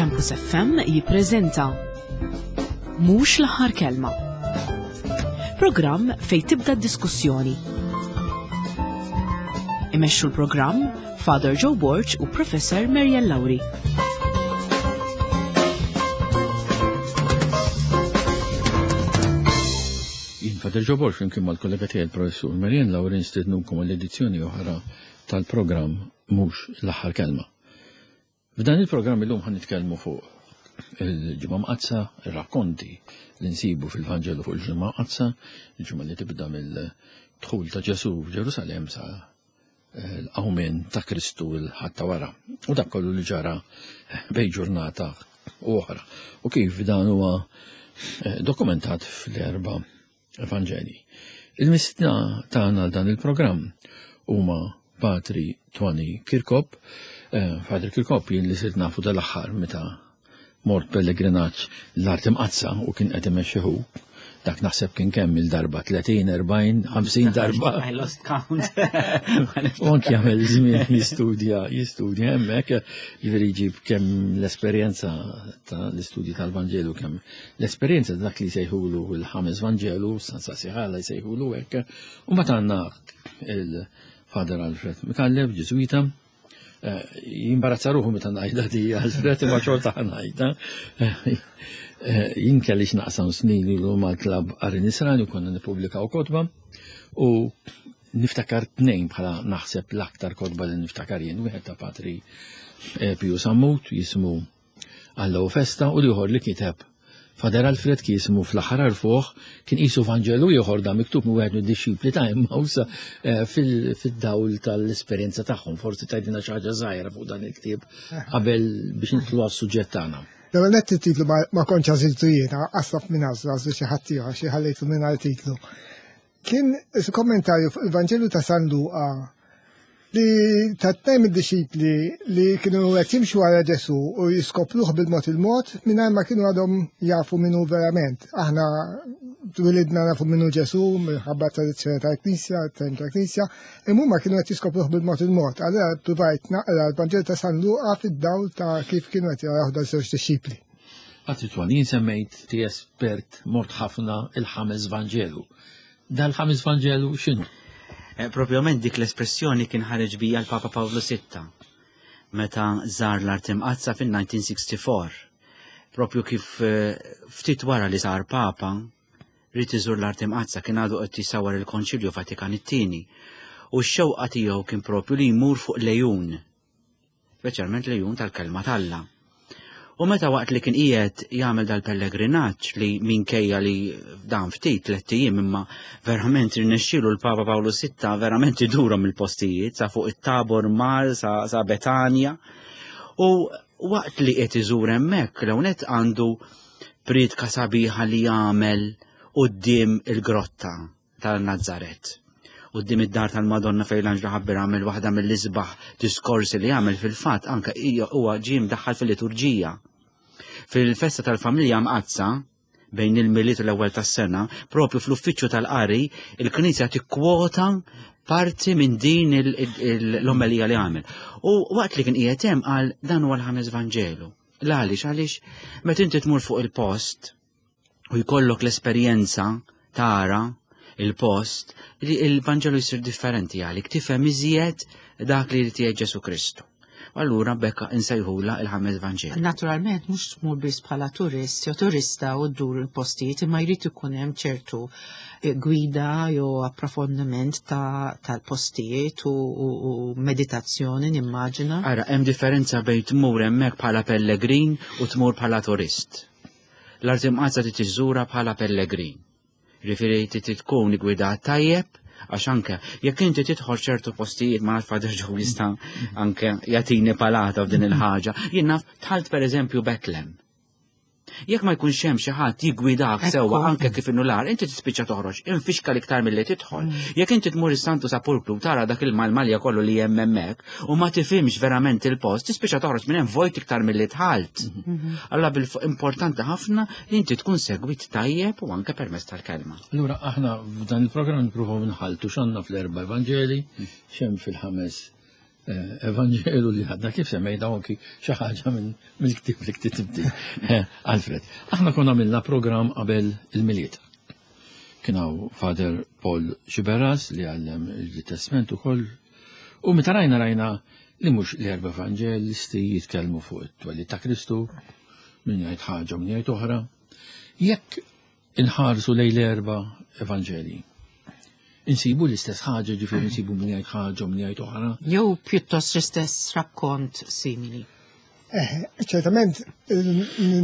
Campus FM jippreżenta Mhux l-aħħar kelma. Programm fejn tibda d-diskussjoni. Imexxu l-programm Father Joe Borg u Professor Marian Lauri. Jien Father Joe Borg flimkien mal-kollega tiegħi l-Professur Marian Lauri nistednukom għall-edizzjoni oħra tal-programm Mhux l-aħħar kelma. F'dan il-programm illum ħan nitkellmu fuq il-Ġimgħa Mqaddsa, ir-rakkonti li nsibu fil-Vanġelu fuq il-Ġimgħa Mqaddsa, il-ġimgħa li tibda mill-dħul ta' Ġesù f'Ġerusalemm sa eh, l-qawmien ta' Kristu l-ħadd ta' wara. U dak kollu li ġara bejn ġurnata u oħra. U kif dan huwa eh, dokumentat fl-erba' Evanġelji. Il-mistna tagħna dan il-programm huma Patri Tony Kirkop, eh, Father Kirkop jien li sirt nafu dal-aħħar meta mort pellegrinaġġ l-art imqaddsa u kien qed imexxi hu. Dak naħseb kien kemm il-darba 30, 40, 50 darba. I lost count. U anki jagħmel żmien jistudja, jistudja hemmhekk, jiġifieri jġib kemm l-esperjenza tal-istudji tal-Vanġelu kemm l-esperjenza ta' dak li jsejħulu l-ħames Vanġelu, San Sasiħala jsejħulu hekk, u mbagħad għandna il-Father Alfred Mikallef, Ġiżwita, Eh, jimbarazza ruħu meta ngħidha di Alfred imma xorta ngħidha. Eh, eh, jien kelli x'naqsam snin ilu mal-klabb Qari Nisrani u konna nippubblikaw kotba u niftakar tnejn bħala naħseb l-aktar kotba li niftakar jien, wieħed ta' Patri Piju Sammut jismu Alla u festa u l-ieħor li kiteb Fader Alfred kien jismu fl-aħħar għarfuh kien qisu Vanġelu ieħor da miktub minn wieħed mid-dixxipli ta' Emmaus eh, fid-dawl tal-esperjenza tagħhom. Forsi tgħidilna xi ħaġa żgħira fuq dan il-ktieb qabel biex nidħlu għas-suġġett tagħna. L-ewwel nett it-titlu ma kontx għażiltu jiena, qasab minn għażlu għażlu xi ħadd ieħor xi ħallejtu mingħajr titlu. Kien kommentarju fuq il-Vanġelu ta' San Luqa li ta' tnejn mid-dixxipli li kienu qed jimxu wara Ġesù u jiskopruh bil-mod il-mod mingħajr ma kienu għadhom jafu min hu verament. Aħna twilidna nafu min hu Ġesù minħabba tradizzjoni tal-Knisja, tagħlim tal-Knisja, imma huma kienu qed jiskopruh bil-mod il-mod. Allura ppruvajt naqra l-Vanġelu ta' San Luqa fid-dawl ta' kif kienu qed jaraw dan żewġ dixxipli. Patri Twan, jien semmejt ti espert mort ħafna il-ħames Vanġelu. Dal-ħames Vanġelu x'inhu? Eh, propjament dik l-espressjoni kien ħareġ bija l-Papa Pawlu VI meta żar l-Art Imqaddsa fin-1964. Propju kif eh, ftit wara li sar Papa, ried iżur l-Art Imqaddsa kien għadu qed jisawar il-Konċilju Vatikan it-tieni. U x-xewqa tiegħu kien propju li jmur fuq lejun speċjalment l-ejjun tal-kelma t'Alla. U meta waqt li kien qiegħed jagħmel dal-pellegrinaġġ li minkejja li dan ftit tlett ijiem imma verament irnexxielu l-Papa Pawlu VI verament idurhom il-postijiet sa fuq it-Tabor mar sa, sa Betanja. U waqt li qed iżur hemmhekk l-hawnhekk għandu priedka sabiħa li jagħmel quddiem il-grotta tal-Nazzaret. Quddiem id-dar tal-Madonna fejn l-Anġlu ħabbir għamel waħda mill-isbaħ diskorsi li għamel fil-fatt anke huwa ġie mdaħħal fil-liturġija. Fil-festa tal-familja mqaddsa bejn il-Milied u l-ewwel tas-sena, propju fl-uffiċċju tal-qari, il-Knisja tikkwota parti minn din l-omelija li għamel. U waqt li kien qiegħed hemm qal dan huwa l-ħames Vanġelu. L-għaliex għaliex meta inti tmur fuq il-post u jkollok l-esperjenza tara il-post li il-Vanġelu jsir differenti għalik, tifhem iżjed dak li jrid jgħid Ġesu Kristu. Allura bekka insejħula il-ħames Vanġelu. Naturalment mhux tmur biss bħala turist jew turista u ddur il-postijiet imma jrid ikun hemm ċertu eh, gwida jew approfondiment tal-postijiet u, u, u meditazzjoni nimmaġina. Ara, hemm differenza bejn tmur hemmhekk bħala pellegrin u tmur bħala turist. L-Art Imqaddsa trid iżżurha bħala pellegrin. Jiġifieri trid tkun igwidat tajjeb għax anke jekk inti tidħol ċertu postijiet ma nafx Father Joe jista' anke jagħtini palata f'din il-ħaġa. Jien naf dħalt pereżempju Betlem. Jekk ma jkunx hemm xi ħadd jiggwidak sewwa anke kif inhu l-għar, inti tispiċċa toħroġ infixka l-iktar milli tidħol. Jekk inti tmur is-Santu Sepulkru tara dak il-malmalja kollu li hemm hemmhekk u ma tifhimx verament il-post, tispiċċa toħroġ minn hemm vojt iktar milli dħalt. Mhm. Allura bil-importanti ħafna li inti tkun segwit tajjeb u anke permezz tal-kelma. Allura aħna f'dan il-programm nippruvaw nħaltu x'għandna fl-erba' Evanġeli, x'hemm fil-ħames. eh, Evanġelu li għadna kif semmejna anki xi ħaġa minn mill-ktieb li ktibti. Eh, Alfred, aħna konna għamilna programm qabel il-Milied. Kien hawn Father Paul Xiberras li għallem il-Testament ukoll u meta rajna rajna li mhux l-erba' evanġelisti jitkellmu fuq it-twelid ta' Kristu, min jgħid ħaġa u min jgħid oħra. Jekk inħarsu lejn l-erba' evanġelji, insibu l-istess ħaġa, ġifieri insibu min jgħid ħaġa u min jgħid oħra. Jew pjuttost l-istess rakkont simili. Eh, ċertament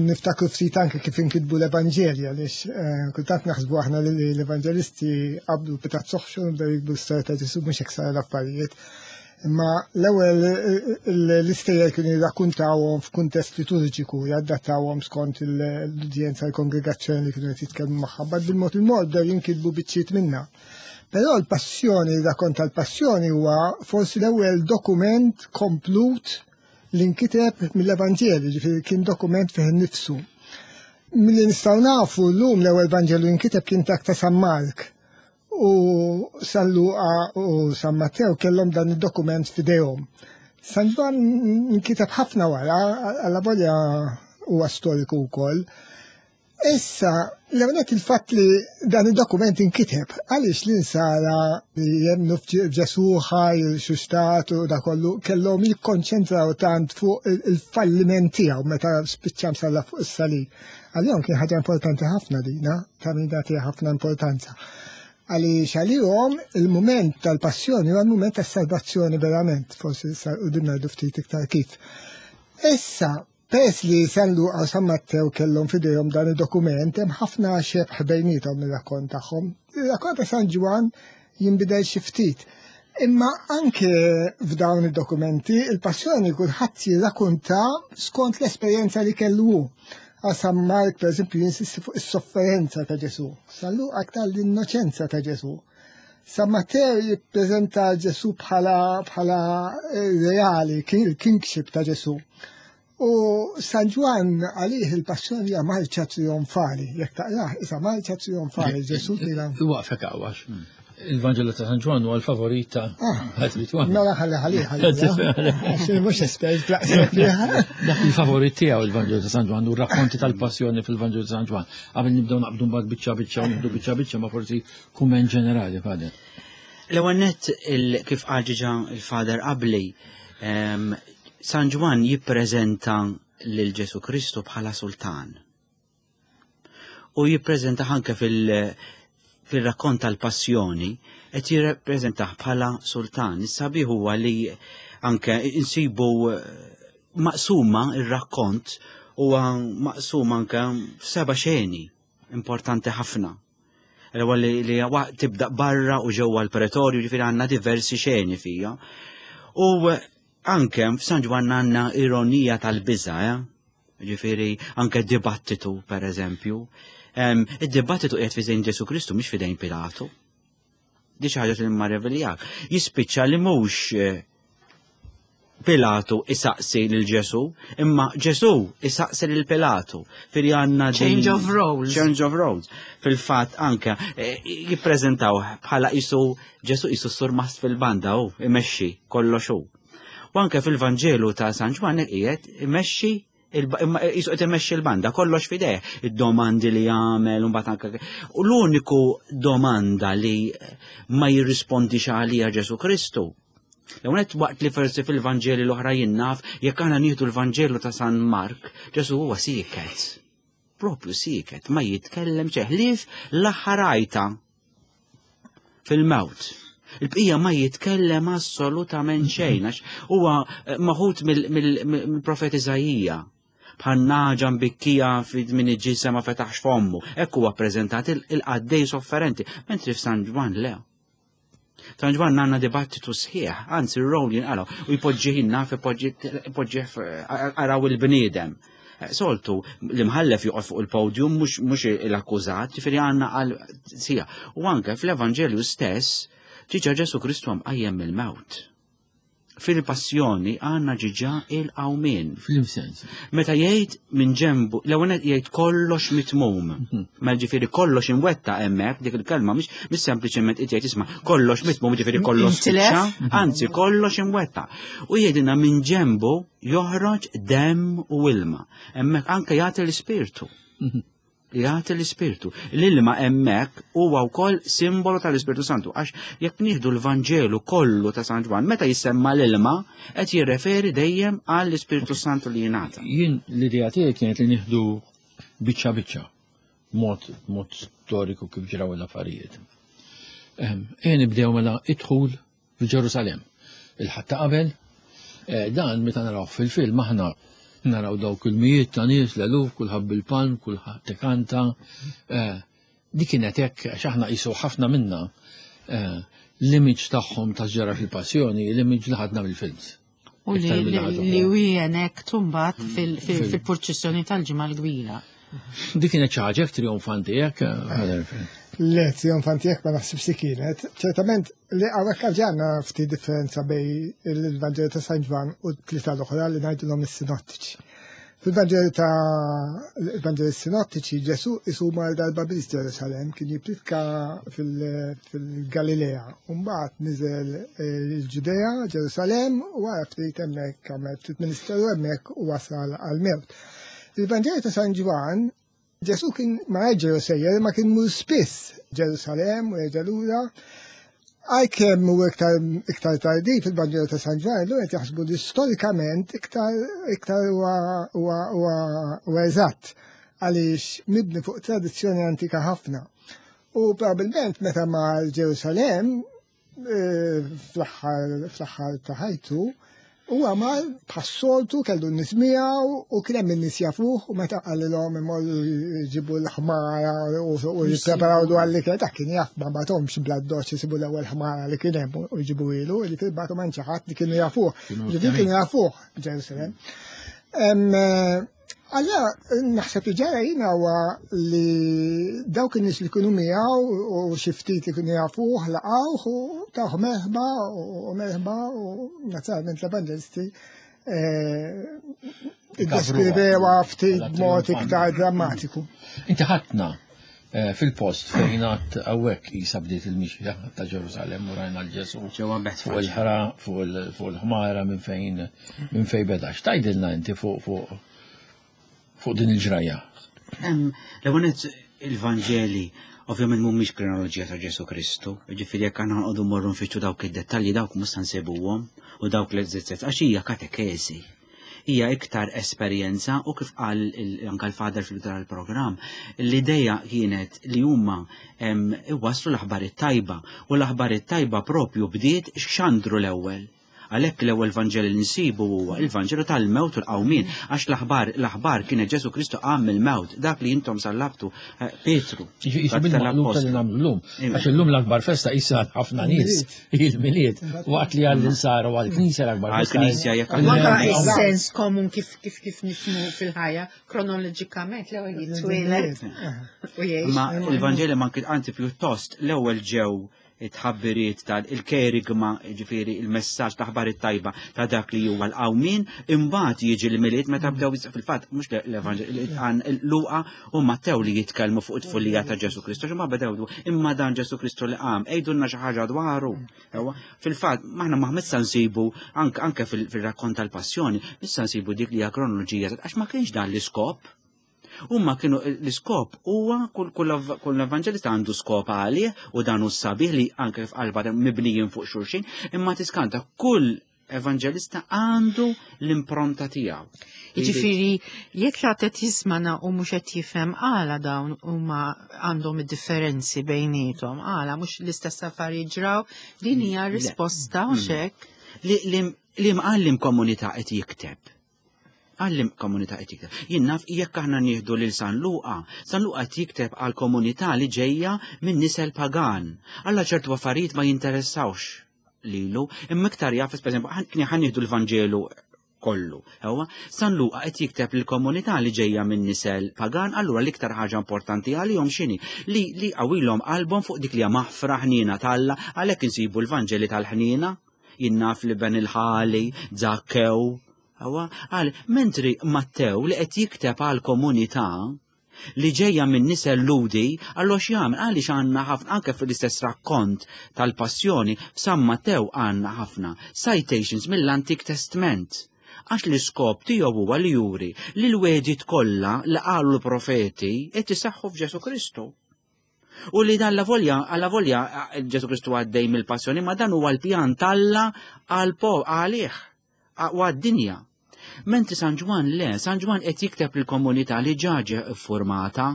niftakru ftit anke kif inkitbu l-Evanġelji għaliex eh, kultant naħsbu aħna li l-Evanġelisti qabdu pitazz oħxu bdew jikbu l-istorja ta' Ġesu mhux hekk sar l-affarijiet. Imma l-ewwel l-istejjer kienu jirrakkuntawhom f'kuntest liturġiku, jadattawhom skont l-udjenza l-kongregazzjoni li kienu qed jitkellmu magħha, bad bil-mod il-mod bdew jinkitbu biċċiet minnha. Però l-passjoni, ir-rakkont tal-passjoni huwa forsi l-ewwel dokument komplut li nkiteb mill-Evanġelju, ġifieri kien dokument fih innifsu. Milli nistgħu nafu llum l-ewwel Vanġelu nkiteb kien dak ta' San Mark u San Luqa u San Mattew kellhom dan id-dokument f'idejhom. San Ġwann nkiteb ħafna wara, alla volja huwa storiku wkoll. Issa, l-ewwel il-fatt li dan id-dokument inkiteb għaliex l-insara li jemmnu f'Ġesù ħaj, xustat u da kollu kellhom jikkonċentraw tant fuq il-falliment tiegħu meta spiċċa msalla fuq is-salib. Għalihom kien ħaġa importanti ħafna dina, ta' min nagħtiha ħafna importanza. Għaliex għalihom il-mument tal-passjoni huwa l-mument tas-salvazzjoni verament, forsi sa quddiem ngħidu ftit iktar kif. Issa, Peress li San Luqa u San Mattew kellhom f'idejhom dan id-dokument, hemm ħafna xebh bejniethom ir-rakkont tagħhom. Ir-rakkont ta' San Ġwann jinbidel xi ftit. Imma anke f'dawn id-dokumenti il-passjoni kulħadd jirrakunta skont l-esperjenza li kellu hu. Għal San Mark, per eżempju, jinsisti fuq is-sofferenza ta' Ġesù. San Luqa aktar l-innoċenza ta' Ġesù. San Mattew jippreżenta Ġesù bħala bħala eh, reali, il-kingship ta' Ġesù. U San Ġwann għalih il-passjoni hija marċa trionfali, jekk taqrah isa marċa trionfali Ġesù tila. Waqfek għawax. Il-Vanġelu ta' San Ġwann huwa l-favorit ta' ah, Mela ħalli ħalli ħalli. Mhux espert Dak il-favorit tiegħu il-Vanġelu ta' San Ġwann u r-rakkonti tal-passjoni fil-Vanġelu ta' San Ġwann. Qabel nibdew naqbdu mbagħad biċċa biċċa u nibdu biċċa biċċa ma forsi Kumment ġenerali, Father. L-ewwel nett kif qal ġiġa il-Father qabli, San Ġwann jippreżenta lil Ġesu Kristu bħala sultan. U jippreżenta anke fil-rakkont tal-passjoni qed jirrappreżentah bħala sultan. Is-sabiħ huwa li anke insibu eh, maqsuma ir-rakkont huwa maqsum anke f'seba' xeni importanti ħafna. L-ewwel li, li tibda barra u ġewwa l-pretorju, ġifieri għandna diversi xeni fija. U anke f'San Ġwann għandna ironija tal-biża, eh? Ġifieri anke dibattitu, per eżempju. Id-dibattitu qiegħed f'idejn Ġesu Kristu mhix f'idejn Pilatu. Di xi ħaġa li marreviljak. Jispiċċa li mhux eh, Pilatu isaqsi lil Ġesu, imma Ġesu isaqsi lil Pilatu. Fili għandna Change of roles. Change of roles. Fil-fatt anke eh, jippreżentaw bħala isu Ġesu isu surmast fil-banda u imexxi kollox hu. U anke fil-Vanġelu ta' San Ġwann qiegħed imexxi imma jisu qed imexxi l-banda kollox fideh, id-domandi li jagħmel u mbagħad anke u l-uniku domanda li ma jirrispondix għalija Ġesu Kristu. L-ewwel waqt li forsi fil-Vanġeli l-oħra jinnaf, jekk aħna nieħdu l-Vanġelu ta' San Mark, Ġesu huwa sieket. Propju sieket, ma jitkellem ħlief l-aħħar għajta fil-mewt. Il-bqija ma jitkellem assolutament xejn għax huwa eh, maħut mill-profet Iżajija bħal naġa mbikkija min iġisa ma fetaħx fommu. Hekk huwa ppreżentat il-qaddej sofferenti, mentri f'San Ġwann le. San Ġwann għandna dibattitu sħiħ, anzi r-rowl jinqalgħu u jpoġġih naf ipoġġih araw il-bniedem. Soltu, l-imħallef joqgħod fuq il-podium mhux l-akkużat, ġifieri għandna għal sija. U anke fl-Evanġelju stess, ġiġa Ġesu Kristu għam qajjem mill-mewt. Fil-passjoni għandna ġiġa il-qawmien. Fil-sens. Meta jgħid minn ġembu, l-ewwel jgħid kollox mitmum. Mela ġifieri kollox imwetta hemmhekk dik il-kelma mhix mhix sempliċement qed jgħid isma' kollox mitmum ġifieri kollox spiċċa, anzi kollox imwetta. U jgħidilna minn ġembu joħroġ demm u ilma. Hemmhekk anke jagħti l-ispirtu. Jagħti l-ispirtu. L-ilma hemmhekk huwa wkoll simbolu tal-Ispirtu Santu għax jekk nieħdu l-Vanġelu kollu ta' San Ġwann meta jissemma l-ilma qed jirreferi dejjem għall-Ispirtu Santu li jingħata. Jien l-idea tiegħi kienet li nieħdu biċċa biċċa mod mod storiku kif ġraw l-affarijiet. Ejja nibdew mela idħul f'Ġerusalemm. Il-Ħadd ta' qabel, eh, dan meta naraw fil-film aħna naraw dawk il-mijiet ta' nies, l-eluf, kulħadd bil-palm, kulħadd tikanta. Eh, dik kienet hekk għax aħna qisu ħafna minna eh, l-image tagħhom ta' ġara fil-passjoni, l-image li ħadna mill-films. U li li wienek tumbat fil-purċissjoni tal-ġimgħa l-kbira. Dik kienet xi ħaġa trionfanti hekk. Eh, Le, trionfanti hekk ma naħsibx li kienet. Ċertament li hawnhekk għandna ftit differenza bej il-Vanġelu ta' San Ġwann u t-tlieta l-oħra li ngħidulhom is-sinottiċi. Fil-Vanġelu ta' l-Vanġeli Sinottiċi Ġesu isu mar darba biss Ġerusalem kien jippritka fil-Galilea. Mbagħad niżel eh, il-Ġudea, Ġerusalem, u wara ftit hemmhekk għamel ftit ministeru hemmhekk u wasal għall-mewt. Il-Vanġelu ta' San Ġwann Ġesu kien ma Ġerusejjer ma kien mur spiss Ġerusalem u jerġa' lura. Għalkemm hu iktar iktar tardi fil-Vanġelu ta' San Ġwann, illum qed jaħsbu li storikament iktar iktar huwa huwa eżatt għaliex mibni fuq tradizzjoni antika ħafna. U probabbilment meta mar Ġerusalem Eh, fl-aħħar ta' ħajtu, huwa mal bħas-soltu kellu n-nies miegħu u kien hemm in-nies jafuh u meta qalilhom imorru jġibu l-ħmara u jippreparaw dwar li kien dak kien jaf ma bagħthomx bla doċ isibu l-ewwel ħmara li kien hemm u jġibu ilu, li bagħtu ma ħadd li kienu jafuh. Ġifieri kienu jafuh Ġerusalem. Eh, Allora, naħseb li ġara jina huwa li dawk in-nies li kienu miegħu u xi ftit li kienu jafuh laqgħuh u tawh merħba u merħba u naturalment l-evangelisti eh, iddeskrivewa ftit b'mod iktar drammatiku. Inti ħadna eh, fil-post fejn għad hawnhekk qisha bdiet il-mixja ta' Ġerusalemm u rajna l-Ġesu fuq il-ħra fuq il-ħmara minn fejn minn fejn beda. X'tgħidilna inti fuq fuq fuq din il-ġrajja? L-ewwel il-Vanġeli ovvjament mhumiex kronoloġija ta' Ġesu Kristu, ġifieri jekk aħna nqogħdu mmorru nfittxu dawk id-dettalji dawk mhux se nsibuhom u dawk l-eżizzet għax hija katekeżi hija iktar esperjenza u kif qal anka l-fader fil tal-programm, l-ideja kienet li huma iwasslu l-aħbar it-tajba u l-aħbar it-tajba propju bdiet x'xandru l-ewwel. Għalhekk l-ewwel Vanġel li nsibu huwa il-Vanġelu tal-mewt u l-qawmien, għax l-aħbar l-aħbar kienet Ġesu Kristu qam mill-mewt, dak li intom sallabtu eh, Pietru. Jiġi bil-maqlub li nagħmlu llum. Għax illum l-akbar festa issa ħafna nies il-Milied, waqt li għall-insara u għall-Knisja l-akbar festa. Għall-Knisja jekk Anka is-sens komun kif kif kif nifhmu fil-ħajja kronoloġikament l-ewwel jitwieled u jgħix. Ma il-Vanġeli ma anzi pjuttost l-ewwel ġew it-tħabbiriet tal-kerigma, ġifieri il-messaġġ ta' aħbar it-tajba ta' dak li huwa l-qawmien, imbagħad jiġi l-Milied meta bdew fil-fatt mhux l-Evanġel Luqa u Mattew li jitkellmu fuq it-tfulija ta' Ġesu Kristu, ma bdew imma dan Ġesu Kristu li qam, għidulna xi ħaġa dwaru. Fil-fatt, maħna ma missa nsibu anke fil-rakkont tal-passjoni, missa nsibu dik li hija kronoloġija għax ma kienx dan l-iskop. Huma kienu l-iskop huwa kull kull evanġelista għandu skop għalih u dan hu sabiħ li anke f'qalba mibnijin fuq xulxin, imma tiskanta kull evanġelista għandu l-impronta tiegħu. Jiġifieri jekk xi qed jismana u mhux qed jifhem għala dawn huma għandhom id-differenzi bejniethom, għala mhux l-istess affarijiet ġraw, din hija risposta u mm. xek. Li mqallim komunità qed jikteb. Għallim komunità qed jikteb. Jien naf jekk aħna nieħdu lil San Luqa, San Luqa qed jikteb għal komunità li ġejja minn nisel pagan. Alla ċertu affarijiet ma jinteressawx lilu, imma iktar jaf, per eżempju, ħan nieħdu l-Vanġelu kollu. Ewa, San Luqa qed jikteb lil komunità li ġejja minn nisel pagan, allura l-iktar ħaġa importanti għalihom x'inhi li li qawilhom qalbhom fuq dik li hija maħfra ħniena t'Alla, għalhekk insibu l-Vanġeli tal-ħniena. Jien naf li ben il-ħali, Zakkew. Awa, għal, mentri Mattew li qed jikteb għal komunità li ġejja minn nisel Lhudi, allura x'jagħmel? Għaliex għandna ħafna anke fl-istess rakkont tal-Passjoni f'San Mattew għandna ħafna citations mill-Antik Testment. Għax l-iskop tiegħu huwa li juri li l-wegħdiet kollha li qalu l-profeti qed iseħħu f'Ġesù Kristu. U li dan la volja, alla volja Ġesù Kristu għaddej mill-passjoni, ma dan huwa l-pjan t'Alla għal għalih u għad-dinja. Mentri San Ġwann le, San Ġwann qed jikteb lill-komunità li ġa ġe ffurmata,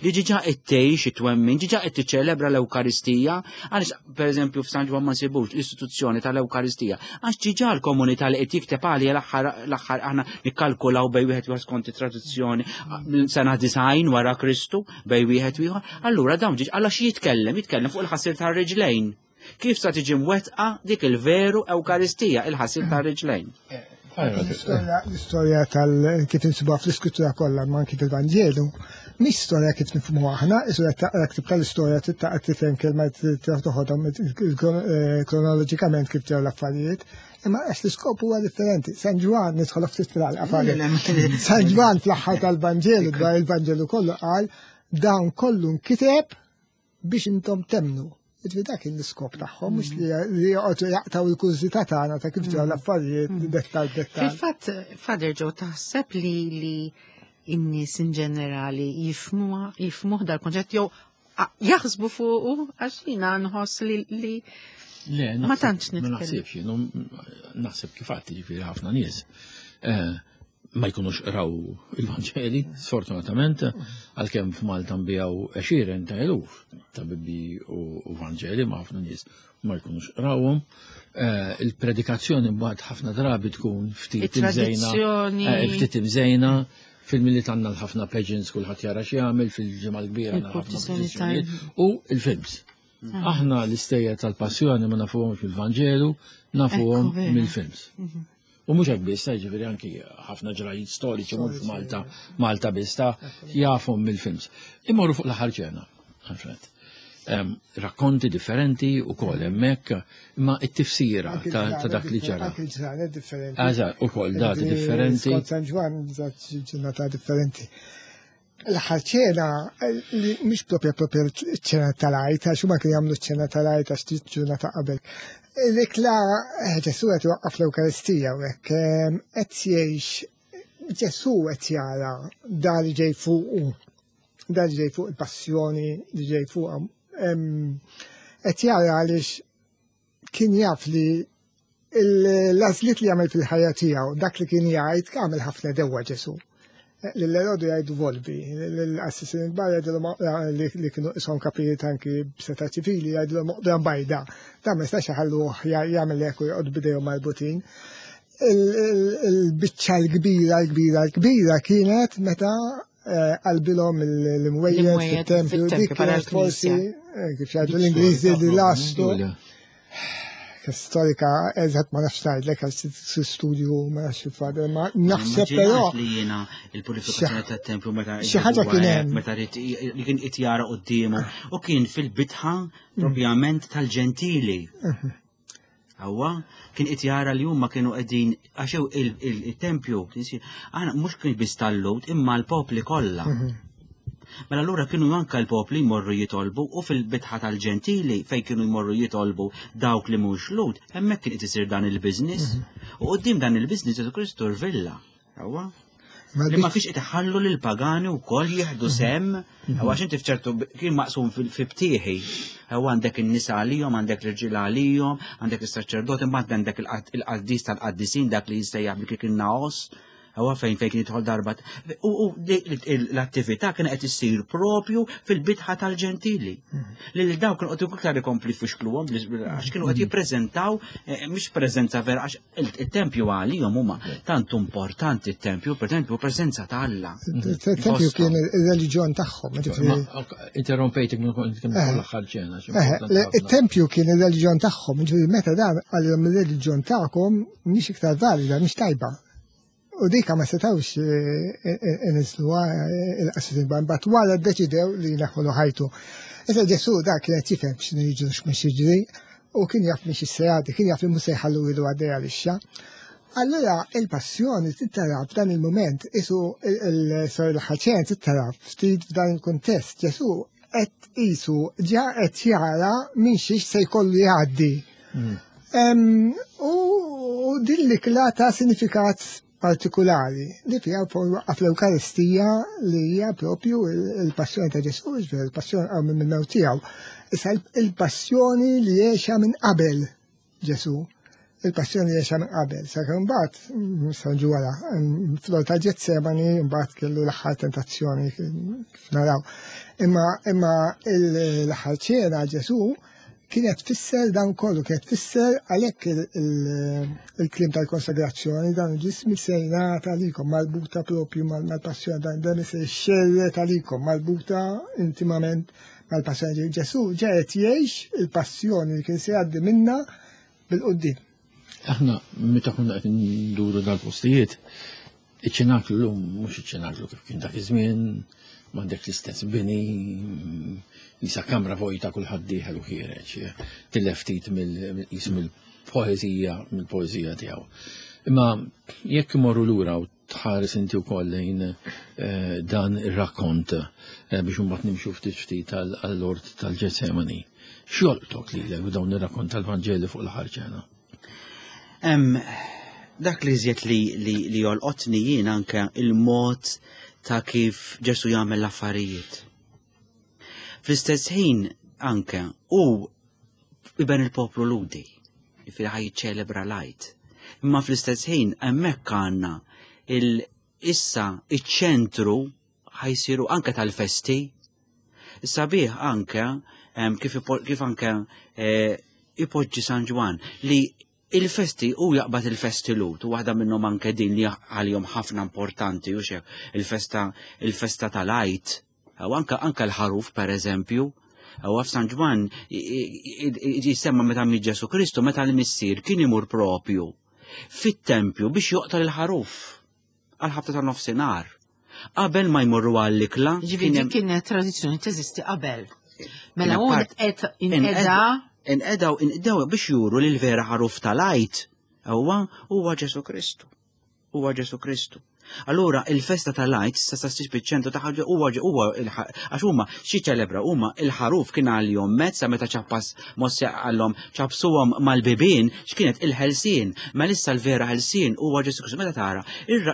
li ġiġa qed tgħix it-twemmin, ġiġa qed tiċċelebra l-Ewkaristija, għaliex pereżempju f'San Ġwann ma nsibux l-istituzzjoni tal-Ewkaristija, għax ġiġa l-komunità li qed jikteb għalija l-aħħar aħna nikkalkulaw bej wieħed ieħor skont it-tradizzjoni sena 90 wara Kristu bej wieħed ieħor, allura dawn ġiġ għal jitkellem, jitkellem fuq il-ħasir tar-riġlejn. Kif sa tiġi mwettqa dik il-veru Ewkaristija, il-ħasil tar-riġlejn? L-istorja tal kif insibuha fl-iskrittura kollha ma anki fil-Vanġelu, mhix storja kif nifhmu aħna, istorja taqra ktib tal-istorja taqra tifhem kelma toħodhom eh, kronoloġikament kif ġew l-affarijiet, imma għax l-iskop huwa differenti. San Ġwan nidħol ftit fil-għalqa San Ġwan fl-aħħar tal-Vanġelu dwar il-Vanġelu kollu qal dawn kollu nkiteb biex intom temnu. Ġifieri dak kien l-iskop tagħhom, mhux li li joqgħodu jaqtaw il-kurżità tagħna ta' kif ġraw l-affarijiet mm. dettal dettal. Fil-fatt, Father Joe, taħseb li li in-nies in ġenerali jifhmuha jifhmuh dal-konċett jew jaħsbu fuqu għax jiena nħoss li li Le, ma tantx nitkellem. Ma naħsibx, naħseb kif għatti ġifieri ħafna nies. Eh, ma jkunux qraw il-Vanġeli, sfortunatament, għalkemm f'Malta nbijaw għexieren ta' eluf ta' Bibbi u Vanġeli ma' ħafna nies ma jkunux qrawhom. Eh, il-predikazzjoni mbagħad ħafna drabi tkun ftit imżejna. Eh, ftit imżejna fil-miliet għandna ħafna pageants kulħadd jara x'jagħmel fil-ġimgħa l-kbira għandna ħafna u il-films. Ah. Aħna l-istejjer tal-passjoni ma nafuhomx mill-Vanġelu, nafuhom mill-films. Mhm. U mhux hekk biss, jiġifieri anki ħafna ġrajiet storiċi mhux Malta, Malta biss ta' jafhom mill-films. Imorru fuq l-aħħar ċena, Alfred. Rakkonti differenti u kol hemmhekk, imma t-tifsira ta' dak li ġara. Anki ġranet differenti. Eżatt, ukoll dati differenti. Skont San Ġwann ġurnata differenti. L-aħħar ċena, li mhix propja propja ċena tal-Għid, għax huma kienu jagħmlu ċena tal-Għid għax ġurnata qabel. L-ikla eh, Ġesu qed iwaqqaf l-Ewkaristija u hekk eh, qed jgħix Ġesu qed jara dan li ġej fuqu, dan li ġej fuq il-passjoni li ġej fuqha. Qed jara għaliex kien jaf li l-għażliet li għamel fil-ħajja tiegħu, dak li kien jgħid, għamel ħafna dewwa Ġesu. L-Erodu jgħidu volvi, l-assisin il-bar jgħidu li kienu isom kapijiet anki b'seta ċivili jgħidu moqdra bajda. Da ma jistax iħalluh jagħmel hekk u joqgħod bidejhom marbutin. Il-biċċa l-kbira, l-kbira, l-kbira kienet meta eh, qalbilhom l-imwejjed fit-tempju, dik kienet forsi eh, kif jgħidu l-Ingliżi li lastu. Storika, eżatt ma nafx ngħidlek għax studju ma nafx il-fader, ma naħseb però. Li jiena il-purifikazzjoni tat-tempju meta xi ħaġa kien hemm. Meta li kien qed jara quddiemu u kien fil-bitħa propjament tal-ġentili. Awwa, kien qed jara li huma kienu qegħdin għax il-tempju, aħna mhux kien biss tal-Lhud imma l-popli kollha. Mhm. Mela allura kienu anke l-popli jmorru jitolbu u fil-bitħa tal-ġentili fejn kienu jmorru jitolbu dawk li mhux Lhud, hemmhekk kien qed isir dan il-business. Mhm. U qudiem dan il-business Ġesu Kristu rvilla. Awwa. Li ma fiex iħallu lil pagani wkoll jieħdu mhm. sem, mhm. għax inti f'ċertu kien maqsum fi btieħi. Għaw għandek in-nisa għalihom, għandek l-irġiel għalihom, għandek is-saċerdoti, mbagħad għandek il-qaddis tal-qaddisin dak li jissejjaħ bil kien naos. Huwa fejn fejn kien jidħol darba. U l-attività kien qed issir propju fil-bitħa tal-ġentili. Mhm. Li dawk kienu qed iktar ikompli fixkluhom għax kienu qed jippreżentaw eh, mhux preżenza vera għax il-tempju għalihom huma tant importanti t-tempju, per preżenza ta' Alla. Il-tempju kien il-reliġjon tagħhom. Interrompejtek minn kont kien eh. l-aħħar ċena. Eh, il-tempju kien il-reliġjon tagħhom, ġifieri meta dan għalihom il-reliġjon tagħkom mhix iktar valida, mhix tajba. U dika ma setawx eh, inizluha il-qassisin mbagħad wara ddeċidew li jneħħulu ħajtu. Issa Ġesu dak kien qed jifhem x'inhu jiġri x'mhux jiġri. U kien jaf minn xi jgħaddi, kien jaf li mhux se jħallu ilu għaddej għalixxa. Allura il-passjoni tittara f'dan il-moment, isu il-sor il-ħaċen tittara ftit f'dan il-kuntest, Ġesu qed isu ġa qed jara minn xiex se jkollu jgħaddi. U din l-ikla ta' sinifikat partikulari li fiha waqqaf l-Ewkaristija li hija propju il-passjoni ta' Ġesu, il-passjoni għaw minn mewt tiegħu. Issa il-passjoni li għexa minn qabel Ġesu, il-passjoni li għexa minn qabel. Sakemm mbagħad San wara, fl ta' Ġetsemani mbagħad kellu l-aħħar tentazzjoni kif naraw. Imma imma l-aħħar ċena Ġesu kienet tfisser dan kollu, kienet tfisser għalhekk il-kliem tal-konsagrazzjoni, dan il-ġismi se jingħata għalikom marbuta propju mal-passjoni, dan dan se jxerred għalikom marbuta intimament mal-passjoni. Ġesu ġa qed jgħix il-passjoni li kien se jgħaddi minna bil-quddiem. Aħna meta konna qed nduru dal-postijiet, iċ-ċenaklu llum mhux iċ-ċenaklu kif kien dak iż-żmien, m'għandek l-istess bini, jisa kamra vojta kulħadd dieħel u ħiereġ, tilef ftit mill-poeżija mill-poeżija tiegħu. Imma jekk imorru lura u tħares inti wkoll lejn eh, dan ir-rakkont eh, biex imbagħad nimxu ftit ftit għall-ort tal-Ġetsemani. X'jolqtok lilek b'dawn ir-rakkont tal-Vanġeli fuq l-aħħar ċena? Dak li iżjed li, li, li jolqotni jien anke il-mod ta' kif Ġesu jagħmel l-affarijiet. Fl-istess ħin anke u iben il-poplu Ludi, jifieri ħaj jiċċelebra l-Għid. Imma fl-istess ħin hemmhekk għandna il issa iċ-ċentru ħajsiru anke tal-festi. Sabiħ anke kif, kif anke eh, ipoġġi San Ġwan li il-festi u jaqbad il-festi lut u waħda minnhom anke din li għalihom ħafna importanti u xek il-festa il-festa tal-Għid u anke anke l-ħaruf per eżempju U f'San Ġwan jisemma meta miet Ġesu Kristu meta l-missier kien imur propju fit-tempju biex joqtol il-ħaruf għal ħabta ta' nofsinhar. Qabel ma jmorru għall-ikla. Ġifieri kienet tradizzjoni teżisti qabel. Mela hu qed inqeda inqedaw inqdew biex juru li l-vera ħaruf tal-Għid huwa huwa Ġesu Kristu. Huwa Ġesu Kristu. Allura il-festa tal-Għid sa sa ssib iċ-ċentru ta' ħaġa huwa huwa għax huma xi ċelebra huma il-ħaruf kien għalihom mezz sa meta ċappas Mosè qallhom ċappsuhom mal-bibien x'kienet il-ħelsien. Mela issa l-vera ħelsien huwa Ġesu Kristu. Meta tara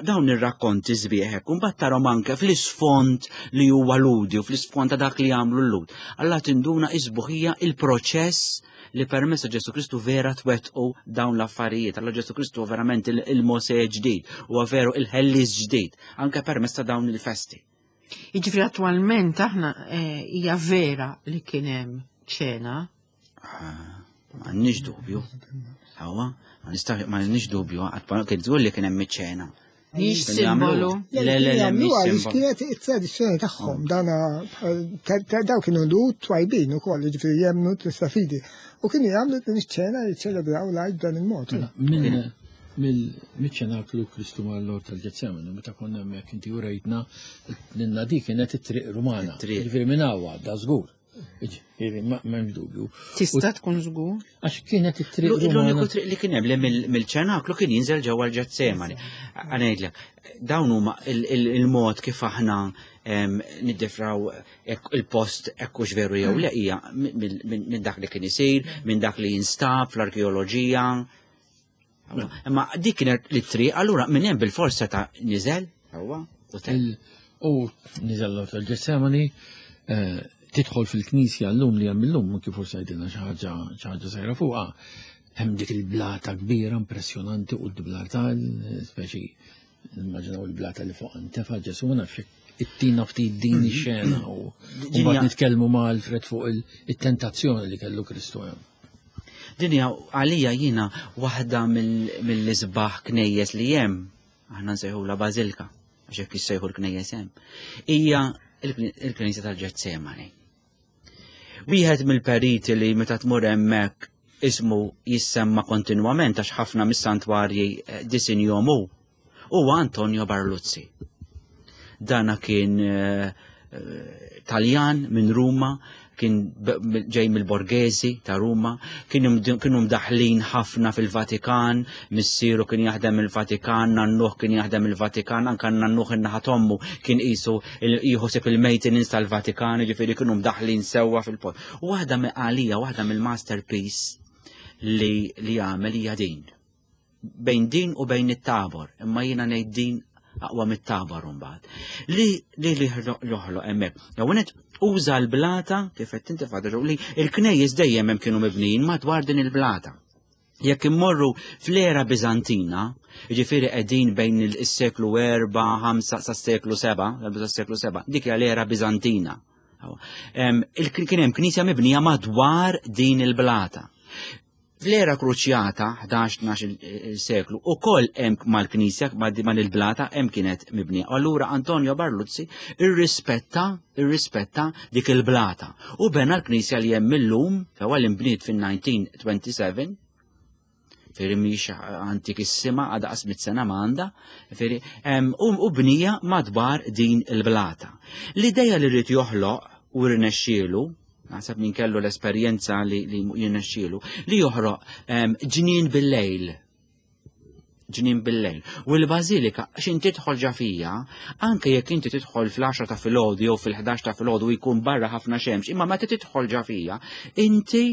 dawn ir-rakkonti sbieħ hekk, mbagħad tarhom anke fl-isfond li huwa Lhudi u fl-isfond ta' dak li jagħmlu l-Lhud. Alla tinduna is-sbuħija il-proċess li permezz ta' Ġesu Kristu vera twettqu dawn l-affarijiet. Alla Ġesu Kristu verament il-Mosè ġdid, huwa veru il-ħellies ġdid, anke permezz ta' dawn il-festi. Jiġifieri attwalment aħna eh, hija vera li kien hemm ċena. Ah, m'għandniex dubju. Hawa, ma nistax m'għandniex dubju, għad kien żgur li kien hemm iċ-ċena. Mhix simbolu. Le, le, le, mhix simbolu. Kienet it-tradizzjoni tagħhom, dana daw kienu lu twajbin ukoll, jiġifieri jemmnu tista' fidi. U kienu jagħmlu din iċ-ċena jiċċelebraw l-għid b'dan il-mod. Mela, mill-ċenaklu Kristu mal-Lord tal-Ġetsemani, meta konna hemmhekk inti urejtna lilna dik kienet it-triq Rumana. Ġifieri minn hawn għadda żgur. Ġifieri m'hemmx dubju. Tista' tkun żgur. Għax kienet it-triq L-uniku triq li kien hemm li mill-ċenaklu kien jinżel ġewwa l-Ġetsemani. Ngħidlek, dawn huma il-mod kif aħna niddifraw il-post ekkux veru jew le hija minn dak li kien isir, minn dak li jinstab fl-arkeoloġija. Imma dik kienet li triq, allura minn hemm bil-forsa ta' niżel, huwa, u tel. U niżel l tal-Ġetsemani, eh, tidħol fil-knisja llum li hemm illum, kif forsi għidilna xi ħaġa xi ħaġa sajra fuqha, hemm dik il-blata kbira impressjonanti u d-blartal, speċi Immaġinaw il-blata li fuq ntefa' Ġesu ma nafx ittina ftit din ix-xena u mbagħad nitkellmu ma' Alfred fuq it-tentazzjoni li kellu Kristu hemm. Din hija għalija jiena waħda mill-isbaħ knejjes li hemm, aħna nsejħula bażilka, għax hekk jissejħu l-knejjes hemm, hija il-Knisja tal-Ġetsemani. Wieħed mill-periti li meta tmur hemmhekk ismu jissemma kontinwament għax ħafna mis-santwarji eh, disinjom hu, huwa Antonio Barluzzi. Dana kien eh, eh, Taljan minn Ruma, kien ġej mill-Borghesi ta' Ruma, kienu mdaħlin ħafna fil-Vatikan, missieru kien jaħdem il-Vatikan, nannuh kien jaħdem il-Vatikan, anka nannuh in-naħa t'ommu kien qisu jħossib il-maintenance tal-Vatikan, jiġifieri kienu mdaħlin sewwa fil-post. U waħda għalija, waħda mill-masterpiece li li għamel hija din. Bejn din u bejn it-tabor, imma jiena ngħid din aqwa mit-tabor mbagħad. Li li li joħloq hemmhekk. Jew uża l-blata kif qed inti fadru li l-knejjes dejjem hemm kienu mibnijin madwar din il-blata. Jekk immorru fl-era Biżantina, jiġifieri qegħdin bejn is-seklu 4, 5 sa seklu 7, sa seklu 7, dik hija l-era Biżantina. Kien hemm knisja mibnija madwar din il-blata. Fl-era kruċjata, 11-12 seklu, u koll hemm mal-knisja, mal-blata, hemm kienet mibnija. Allura Antonio Barluzzi irrispetta, irrispetta dik il-blata. U bena l-knisja li hemm illum, fewa l-imbniet fin-1927, Feri mhix antikissima għadha qasmit sena m'għandha, feri u bnija madwar din il-blata. L-ideja li rrid joħloq u rnexxielu, naħseb min kellu l-esperjenza li, li jirnexxielu, li joħroq ġnien bil-lejl. Ġnien bil-lejl. U l-bażilika, x'in tidħol ġa fija, anke jekk inti tidħol fl-10 ta' filgħodu jew fil-11 ta' filgħodu jkun barra ħafna xemx, imma meta tidħol ġa fija, inti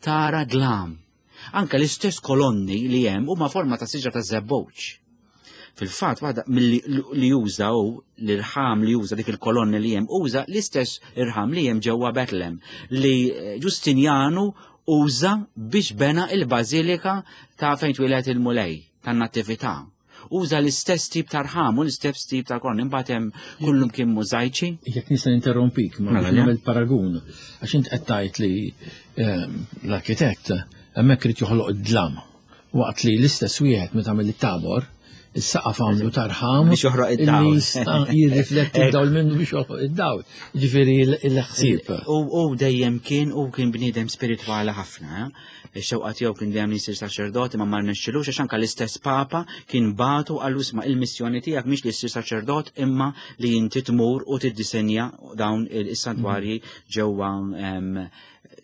tara dlam. Anke l-istess kolonni li hemm huma forma ta' siġra ta' żebbuġ. Fil-fatt, waħda milli li juża hu l-irħam li juża dik il-kolonni li hemm uża l-istess irħam li hemm ġewwa Betlem li Ġustinjanu uża biex bena il-bażilika ta' fejn twieled il-Mulej tan-Natività. Uża l-istess tip ta' rħam u l-istess tip ta' kolonni, imbagħad hemm kullum kien mużajċi. Jekk nista' ninterrompik, ma Mela, le. nagħmel paragun, għax int qed tgħid li l-arkitett hemmhekk irid joħloq id-dlam, waqt li l-istess wieħed meta għamel it-tabor, is-saqaf għamlu ta' rħam biex joħroq id-dawl. Li jista' jirrifletti d-dawl minnu biex joħroq id-dawl. Ġifieri l-ħsieb. U dejjem kien u kien bniedem spiritwali ħafna, eh? Ix-xewqa tiegħu kien dejjem li jsir saċerdot imma ma rnexxilux għax anke l-istess Papa kien bagħtu qallu isma' il-missjoni tiegħek mhix li ssir saċerdot imma li inti tmur u tiddisenja dawn is-santwarji ġewwa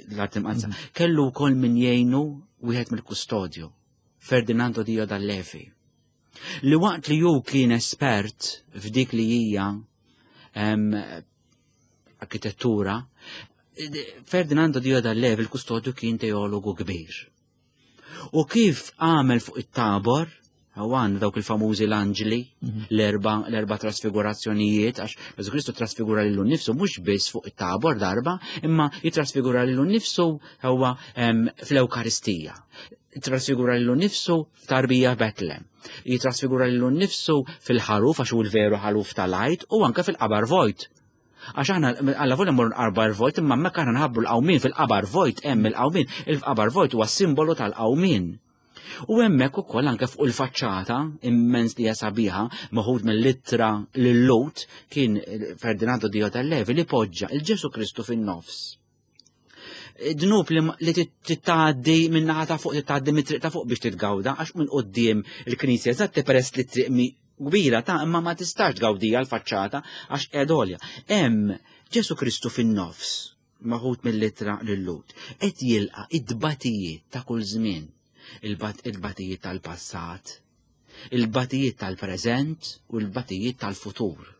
l-Art Imqaddsa. Kellu wkoll min jgħinu wieħed mill-kustodju, Ferdinando Dio Dallevi, li waqt li hu kien espert f'dik li hija arkitettura, Ferdinando Dio Dallevi, il-kustodju, kien teologu kbir. U kif għamel fuq it-tabor, għan dawk il-famużi l-anġli, l-erba trasfigurazzjonijiet, għax Ġesu Kristu trasfigura lilu nnifsu mhux biss fuq it-tabor darba, imma jitrasfigura lilu nnifsu huwa fl-Ewkaristija. Trasfigura lilu nnifsu f'tarbija Betlem. Jitrasfigura lilu nnifsu fil-ħaruf, għax hu l-veru ħaruf tal-Għid, u anke fil-qabar vojt. Għax aħna alla volja mmorru nqarbar vojt, imma hemmhekk aħna nħabbru l-qawmien fil-qabar vojt, hemm il-qawmien, il-qabar vojt huwa simbolu tal-qawmien. U hemmhekk ukoll anke fuq il-faċċata immens li hija sabiħa, meħud mill-ittra lil-Lut, kien Ferdinando Dio Dallevi li poġġa il-Ġesu Kristu fin-nofs. Dnub li titgħaddi minn naħa ta' fuq, titgħaddi mit-triq ta' fuq biex titgawda, għax minn quddiem il-knisja eżatt peress li triq mi kbira ta' imma ma tistax tgawdija l-faċċata għax qiegħda għolja. Hemm Ġesu Kristu fin-nofs, maħud mill-ittra lil-Lut, qed jilqa' id-batijiet ta' kull żmien, il-batijiet tal-passat, il-batijiet tal-preżent u l-batijiet tal-futur.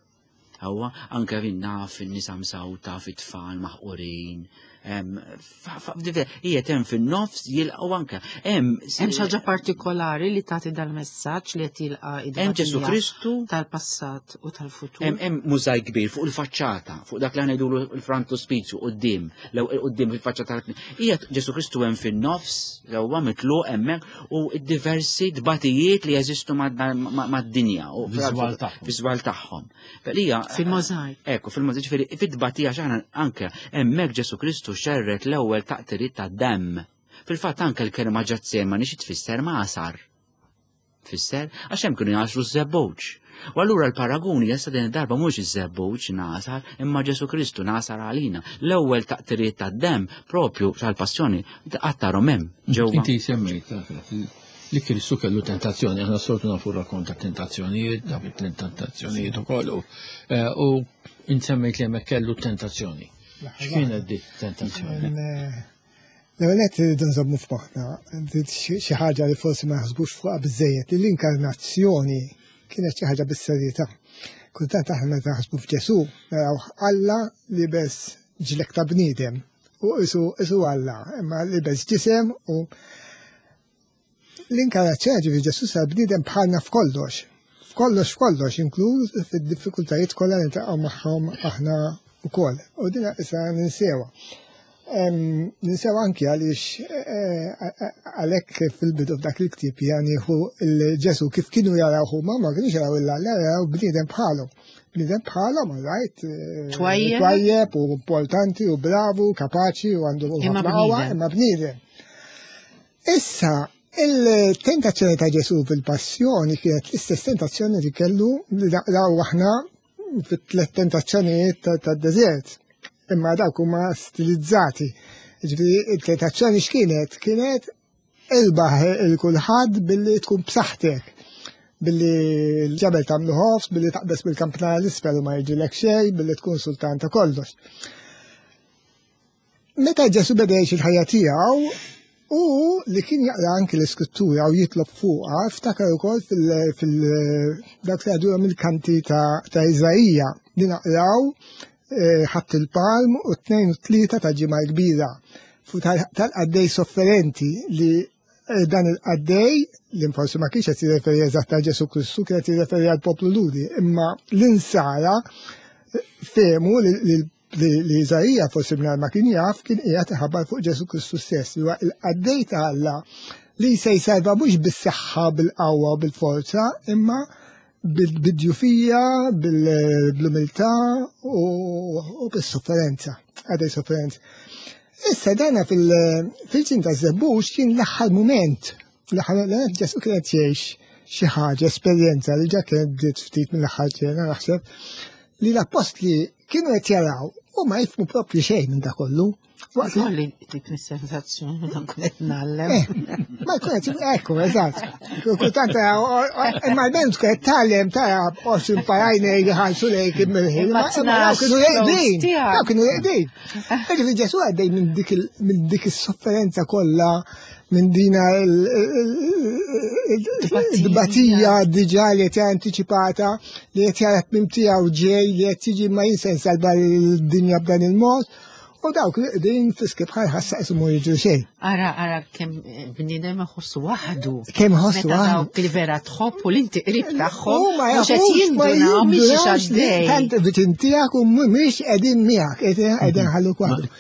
Hawa, anke fin naf in-nisa msawta, fit-tfal maħqurin, hija hemm fin-nofs jilqgħu anke. Hemm Hemm xi ħaġa partikolari li tagħti dal-messaġġ li qed jilqa' Hemm Ġesu Kristu tal-passat u tal-futur. Hemm mużajk kbir fuq il-faċċata, fuq dak li ngħidulu l-frontispizju quddiem, lew quddiem fil-faċċata tal Hija Ġesu Kristu hemm fin-nofs, lew huwa mitluq hemmhekk u d-diversi tbatijiet li jeżistu mad-dinja u Viżwal tagħhom. Viżwal tagħhom. Lija, Fil-możajk. Ekku, fil-możajk, ġifieri, fit-tbatija x'aħna anke hemmhekk Ġesu Kristu xerret l-ewwel taqtiriet tad-demm. Fil-fatt anke l-kelma Ġetsemani xi tfisser magħsar. Tfisser għax hemm kienu jagħsru ż-żebbuġ. U allura l-paraguni issa din id-darba mhux iż-żebbuġ nagħsar, imma Ġesu Kristu nagħsar għalina. L-ewwel taqtiriet tad-demm propju tal-passjoni qattarhom hemm ġewwa. Inti semmejt li Kristu kellu tentazzjoni, aħna soltu nafu rakkont ta' tentazzjonijiet, dawk it-tentazzjonijiet ukoll, u int semmejt li hemmhekk kellu tentazzjoni. X'kienet dik tentazzjoni? Eh, l-ewwel qed irridu nżommu f'moħħna xi ħaġa li forsi ma naħsbux fuqha biżejjed li l-inkarnazzjoni kienet xi ħaġa bis-serjetà. Kultant aħna meta naħsbu f'Ġesù naraw Alla libes ġlek ta' bniedem u isu isu Alla, imma libes ġisem u L-inkarnazzjoni ġifieri Ġesù sar bniedem bħalna f'kollox. F'kollox f'kollox, inkluż fid-diffikultajiet kollha li niltaqgħu magħhom aħna wkoll. U din issa ninsewha. Ninsew anki għaliex eh, għalhekk fil-bidu f'dak il-ktieb janiħu il-Ġesù kif kienu jaraw huma ma kienux jaraw il-Alla jaraw bniedem bħalhom. Bniedem bħalhom, right? Eh, twajjeb u importanti u bravu, kapaċi u għandu ħafna qawwa, imma bniedem. Issa, il-tentazzjoni ta' Ġesù fil-passjoni kienet l-istess tentazzjoni li kellu li naqraw aħna fit-tlet tentazzjonijiet tad-deżert. Imma dawk huma stilizzati. Ġifieri il-tentazzjoni x'kienet? Kienet irbaħ il-kulħadd billi tkun b'saħħtek billi l-ġebel tagħmlu ħofs, billi taqbes bil-kampna l-isfel u ma jiġilek xejn, billi tkun sultan ta' kollox. Meta Ġesu beda jgħix il-ħajja tiegħu, u li kien jaqra anki l-iskrittura u jitlob fuqha, ftakar ukoll fil-dak li għadura mill-kanti ta' Iżaija li naqraw eh, ħadd il-palm u tnejn u tlieta ta' ġimgħa kbira tal-qaddej sofferenti li eh, dan il-qaddej li forsi ma kienx qed jirreferi eżatt għal Ġesu Kristu, kien qed jirreferi għal poplu Ludi, imma l-insara eh, fehmu li li Iżaija forsi mingħajr ma kien jaf kien qiegħed iħabbar fuq Ġesu Kristu stess li huwa il-qaddej ta' Alla li se jserva mhux bis-saħħa, bil-qawwa u bil-forza, imma bil-djufija, bil-umiltà u bis-sofferenza, għadej sofferenza. Issa dana fil-ġin ta' Zebbux kien l-aħħar mument, l-aħħar mument Ġesu kien qed jgħix xi ħaġa, esperjenza li ġa kienet bdiet ftit mill-aħħar ċena naħseb, li l-appostli kienu qed jaraw u ma jifmu propju xejn minn da kollu. Waqt li dik sensazzjoni meta nkun qed ngħallem. Eh, ma jkun qed ekku, eżatt. Kultant imma l-bent tkun qed tgħallem tara 20 parajnej li ħarsu lejk immirħin. Ma kienu jeqdin. Daw kienu jeqdin. Ġifieri Ġesu għaddej minn dik is-sofferenza kollha minn dina l-batija diġa li qed anticipata li qed jara tmim tiegħu ġej li qed jiġi ma jinsen salva l-dinja b'dan il-mod u dawk li qegħdin fiski bħal ħassa ismu jiġu xejn. Ara, ara kemm bniedem iħossu waħdu. Kemm iħossu waħdu. Dawk li vera tħobb u l-inti qrib tagħhom. U ma mhux qed jindunaw mhix għaddej. Tant viċin tiegħek u mhumiex qegħdin miegħek, qegħdin ħalluk waħdu.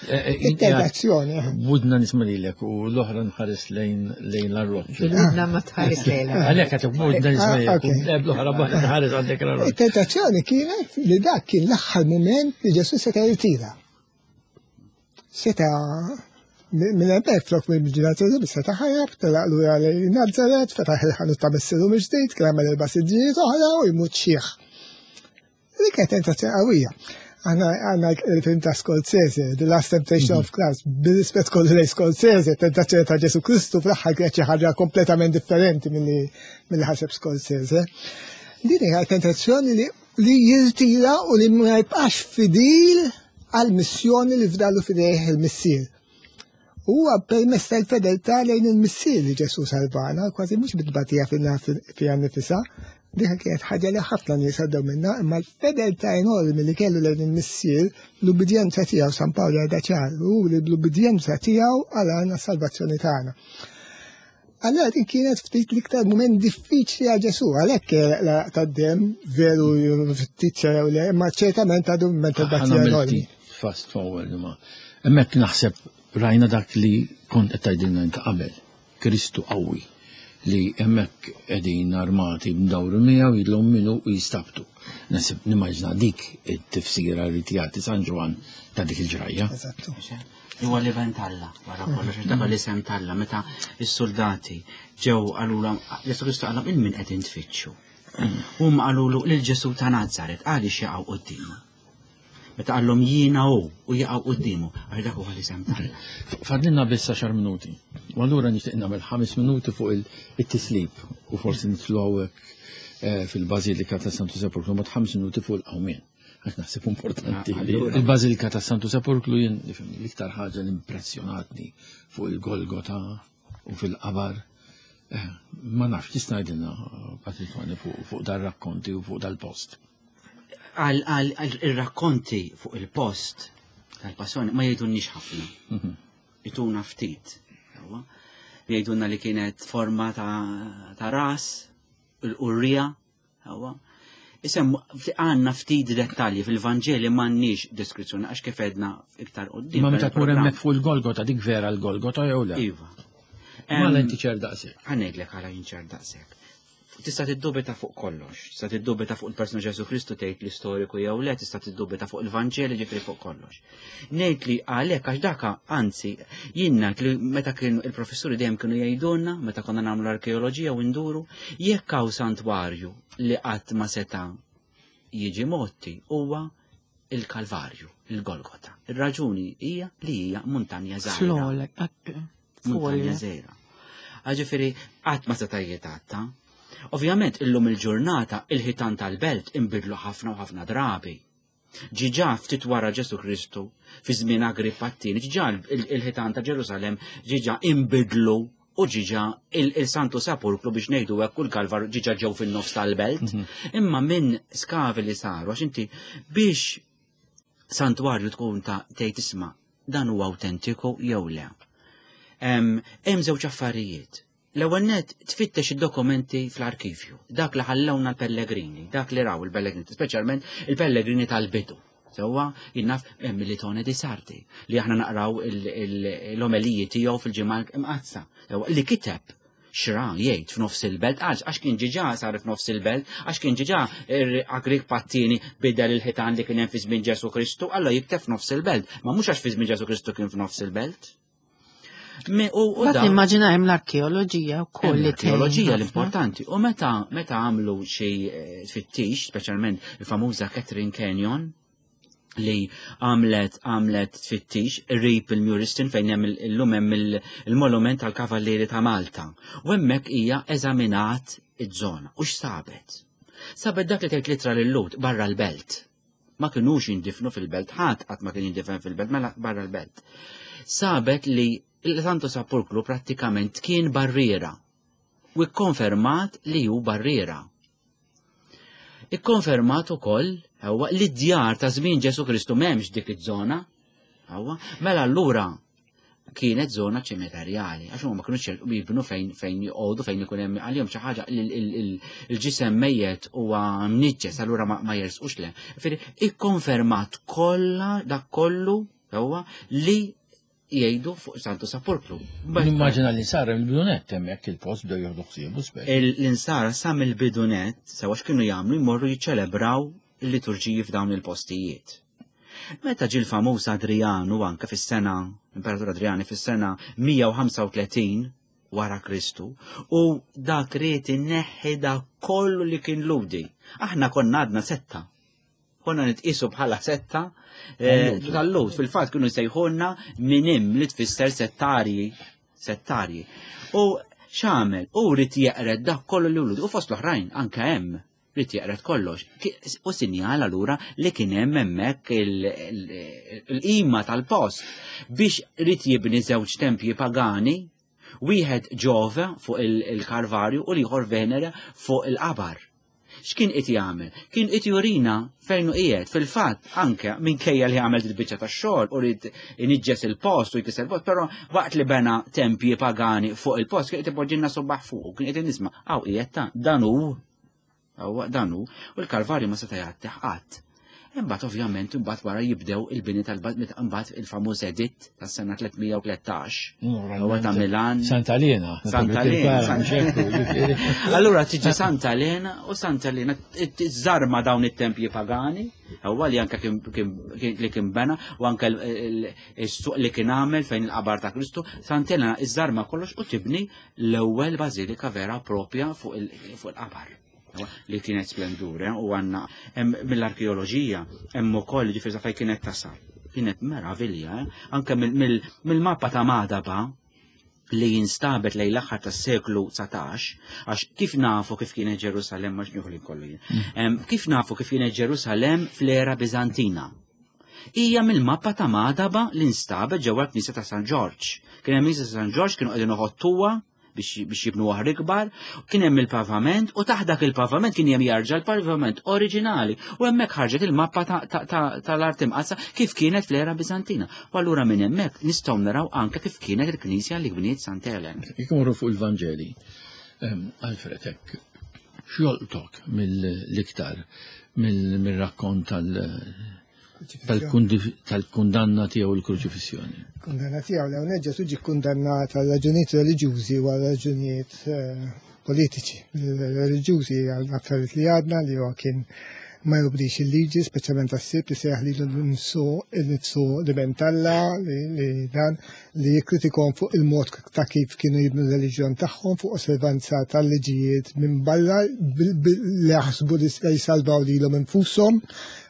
It-tentazzjoni. Eh, Budna nisma' lilek u l-oħra nħares lejn lejn l-arroċ. Budna ma tħares lejn. Għalhekk qed budna nisma' ah, lilek u l-oħra nħares għandek l-arroċ. It-tentazzjoni kienet li dak kien l-aħħar mument li Ġesu seta' jirtira. Seta' minn hemmhekk flok minn ġenazzjoni seta' ħarab, telaq lura lejn Nazaret, fetaħ il-ħanut ta' missieru mill-ġdid, kien għamel erba' siġġijiet oħra u jmut xiħ. Dik kienet tentazzjoni qawwija. Aħna għandna il-film ta' Scorsese, The Last Temptation of Christ, bil-rispett kollu lejn Scorsese, tentazzjoni ta' Ġesu Kristu fl-aħħar kienet xi ħaġa kompletament differenti milli ħaseb Scorsese. Din hija tentazzjoni li li jirtira u li ma jibqax fidil għal-missjoni li fdalu fidejh il-missier. Huwa permezz tal-fedeltà lejn il-Missier li Ġesù salvana, kważi mhux bit-tbatija fiha nnifisha, dik kienet ħaġa li ħafna nies għaddew minnha, imma l-fedeltà enormi li kellu lejn il-Missier, l-ubbidjenza tiegħu San Pawl jgħidha ċar, hu li bl-ubbidjenza tiegħu għalana s-salvazzjoni tagħna. Allora din kienet ftit l-iktar mument diffiċli għal Ġesù, għalhekk tad-dem veru ftit jew le, imma ċertament għadu mument il-batija enormi. Fast forward ma. Hemmhekk naħseb rajna dak li kont qed tgħidilna inti qabel. Kristu qawwi li hemmhekk qegħdin armati mdawru miegħu jidlhom minnu u jistabtu. Nasib nimmaġna dik it-tifsira li jagħti San Ġwann ta' dik il-ġrajja. Eżattu. Huwa l-iben t'Alla, wara kollox, dak l-isem t'Alla, meta s-soldati ġew qalulhom, Ġesù Kristu qalhom il min qegħdin tfittxu. Huma qalulu lil Ġesù ta' Nazaret għaliex jaqgħu quddiemu. Meta qallhom jiena hu u jaqgħu quddiemu, għax dak huwa l-isem t'Alla. Fadlilna biss għaxar minuti. U allura nixtieq nagħmel ħames minuti fuq it-tislib u forsi nitlu hawnhekk eh, fil-Bażilika ta' Santu Sepulkru mod ħames minuti fuq il-qawmien. Għax naħseb importanti. Ah, Il-Bażilika ta' Santu Sepulkru jien l-iktar ħaġa li impressjonatni fuq il-Golgota u fil-qabar. Eh, ma nafx, tista' ngħidilna Patri Tony fuq dar-rakkonti u fuq dal-post. Għal ir-rakkonti fuq il-post tal-passjoni ma jgħidulniex ħafna. Mhm. Ituna ftit. Jgħidulna li kienet forma ta' ras, il-qurrija, Hawa. Isem, għanna ftit dettalji fil-Vanġeli m'għandniex deskrizzjoni għax kif edna iktar qudiem. Ma meta tmur hemmhekk fuq il-Golgota dik vera l-Golgota jew le? Iva. Ma inti ċer daqshekk. Ħa ngħidlek għala jinċer daqshekk. Tista' tiddubita fuq kollox, tista' tiddubita fuq il-persuna Ġesu Kristu tgħid l-istoriku jew le, tista' tiddubita fuq il-Vanġeli ġifri fuq kollox. Ngħid li għalhekk għax daka anzi jien ngħid li meta kienu il-professuri dejjem kienu jgħidulna meta konna nagħmlu arkeoloġija u nduru jekk hawn santwarju li qatt ma seta' jiġi motti huwa il-Kalvarju, il-Golgota. Ir-raġuni hija li hija muntanja żgħira. Muntanja żgħira. Ġifieri qatt ma seta' jitgħatta. Ovvjament illum il-ġurnata il-ħitan tal-belt inbidlu ħafna u ħafna drabi. Ġiġa ftit wara Ġesu Kristu, fi żmien Agrippa t-tieni, ġiġa il-ħitan ta' Ġerusalemm ġiġa inbidlu u ġiġa il-Santu Sepulkru biex ngħidu hekk u l-Kalvar ġiġa ġew fin-nofs tal-belt. Mhm. Imma minn skavi li saru għax inti biex santwarju tkun ta' tgħid isma' dan huwa awtentiku jew le. Hemm żewġ affarijiet. L-ewwel nett tfittex id-dokumenti fl-arkivju, dak li ħallewna l-pellegrini, dak li raw il-pellegrini, speċjalment il-pellegrini tal-bidu. Sewwa jinnaf hemm Militone di Sardi li aħna naqraw l-omeliji tiegħu fil-ġimgħa imqazza. Li kiteb xra jgħid f'nofs il-belt, għax għax kien ġiġa sar f'nofs il-belt, għax kien ġiġa Agrik Pattini bidel il-ħitan li kien hemm fi żmien Ġesu Kristu, alla jikteb f'nofs il-belt. Ma mhux għax fi żmien Ġesu Kristu kien f'nofs il-belt. U nimmaġina hemm l-arkeoloġija wkoll li L-arkeoloġija l-importanti. U meta meta għamlu xi eh, tfittix, speċjalment il-famuża Catherine Canyon, li għamlet għamlet tfittix rip il-Muristin fejn hemm illum hemm il-monument tal-Kavallieri ta' Malta. U hemmhekk hija eżaminat iż-żona u x'sabet. Sabet dak li tgħid litra lil-Lut barra l-belt. Ma kinux jindifnu fil-belt, ħadd qatt ma kien jindifen fil-belt, mela barra l-belt. Sabet li il-Santo Sepulkru prattikament kien barriera u ikkonfermat li hu barriera. Ikkonfermat ukoll huwa li d-djar ta' żmien Ġesu Kristu m'hemmx dik iż-żona. Mela allura kienet zona ċimiterjali, għax huma ma kinux jibnu fejn fejn joqogħdu fejn ikun hemm għalihom xi ħaġa il-ġisem mejjet huwa mniġġes allura ma jersqux le. Ġifieri ikkonfermat kollha dak kollu huwa li jgħidu fuq Santu Sepulkru. Nimmaġina li sar il-bidunet hemmhekk il-post bdew jieħdu ħsiebu speċi. L-insara sa mill-bidunet sewa x'kienu jagħmlu jmorru jiċċelebraw il-liturġiji f'dawn il-postijiet. Meta ġie l-famuż Adrianu anke fis-sena, Imperatur Adriani fis-sena 135 wara Kristu, u dak ried inneħħi dak kollu li kien ludi. Aħna konna għadna setta. Konna nitqisu bħala setta eh, tal-lud. Fil-fatt kienu jsejħulna minim li tfisser settarji. Settarji. U x'għamel? U rid jeqred dak kollu li ludi. U fost l-oħrajn anke hemm Ried jeqred kollox. U sinjal allura li kien hemm hemmhekk il-qima tal-post biex ried jibni żewġ tempji pagani, wieħed Ġove fuq il-Kalvarju u l-ieħor Venere fuq il-qabar. X'kien qed jagħmel? Kien qed jurina fejn hu qiegħed. Fil-fatt anke minkejja li għamel il-biċċa tax-xogħol u ried iniġġes il-post u jkisser il-post, però waqt li bena tempji pagani fuq il-post kien qed ipoġġilna subbaħ fuq, kien qed nisma' hawn qiegħed ta' dan hu Huwa dan hu, u l-Kalvarju ma seta' jgħattih qatt. Imbagħad ovvjament imbagħad wara jibdew il-bini tal-bad imbagħad il-famuż editt tas-sena 313. Huwa ta' Milan. Santa Elena. Santa Elena. Allura tiġi Santa Elena u Santa Elena żarma dawn it-tempji pagani, huwa li anke li kien bena u anke is-suq li kien għamel fejn il-qabar ta' Kristu, Santa Elena iżarma kollox u tibni l-ewwel bażilika vera propja fuq il-qabar li kienet splendure eh, u għanna mill-arkeoloġija hemm ukoll ġifieri fejn kienet tasal. Kienet meravilja, eh? anke mill-mappa ta' Madaba. li jinstabet lejn l-aħħar tas-seklu 19, għax kif nafu kif kienet Ġerusalemm ma xnieħu li kollu jien. Kif nafu kif kienet Ġerusalemm fl-era Biżantina? Hija mill-mappa ta' Madaba li nstabet ġewwa l-Knisja ta' San Ġorġ. Kien hemm Knisja ta' San Ġorġ kienu qegħdin iħottuha biex jibnu oħra ikbar, kien hemm il-pavament u taħt dak il-pavament kien hemm jarġa' l-pavament oriġinali u hemmhekk ħarġet il-mappa tal-art imqaddsa kif kienet fl-era Biżantina. U allura minn hemmhekk nistgħu naraw anke kif kienet il-knisja li bniet Sant Elen. Jekk imorru fuq il-Vanġeli, Alfred, hekk x'jolqtok mill-iktar mill-rakkont tal-kundanna tiegħu l-kruċifissjoni? Kundanna tiegħu l-ewwel Ġesù ġie kundannat għal raġunijiet reliġjużi u għal raġunijiet politiċi. Reliġjużi għal affarijiet li għadna li huwa kien ma jobdix il-liġi, speċjalment għas-Sibt li sejjaħ lilu nnifsu innifsu l-Iben t'Alla li dan li jikkritikhom fuq il-mod ta' kif kienu jibnu r-reliġjon tagħhom fuq osservanza tal-liġijiet minn barra li jaħsbu li jsalvaw lilhom infushom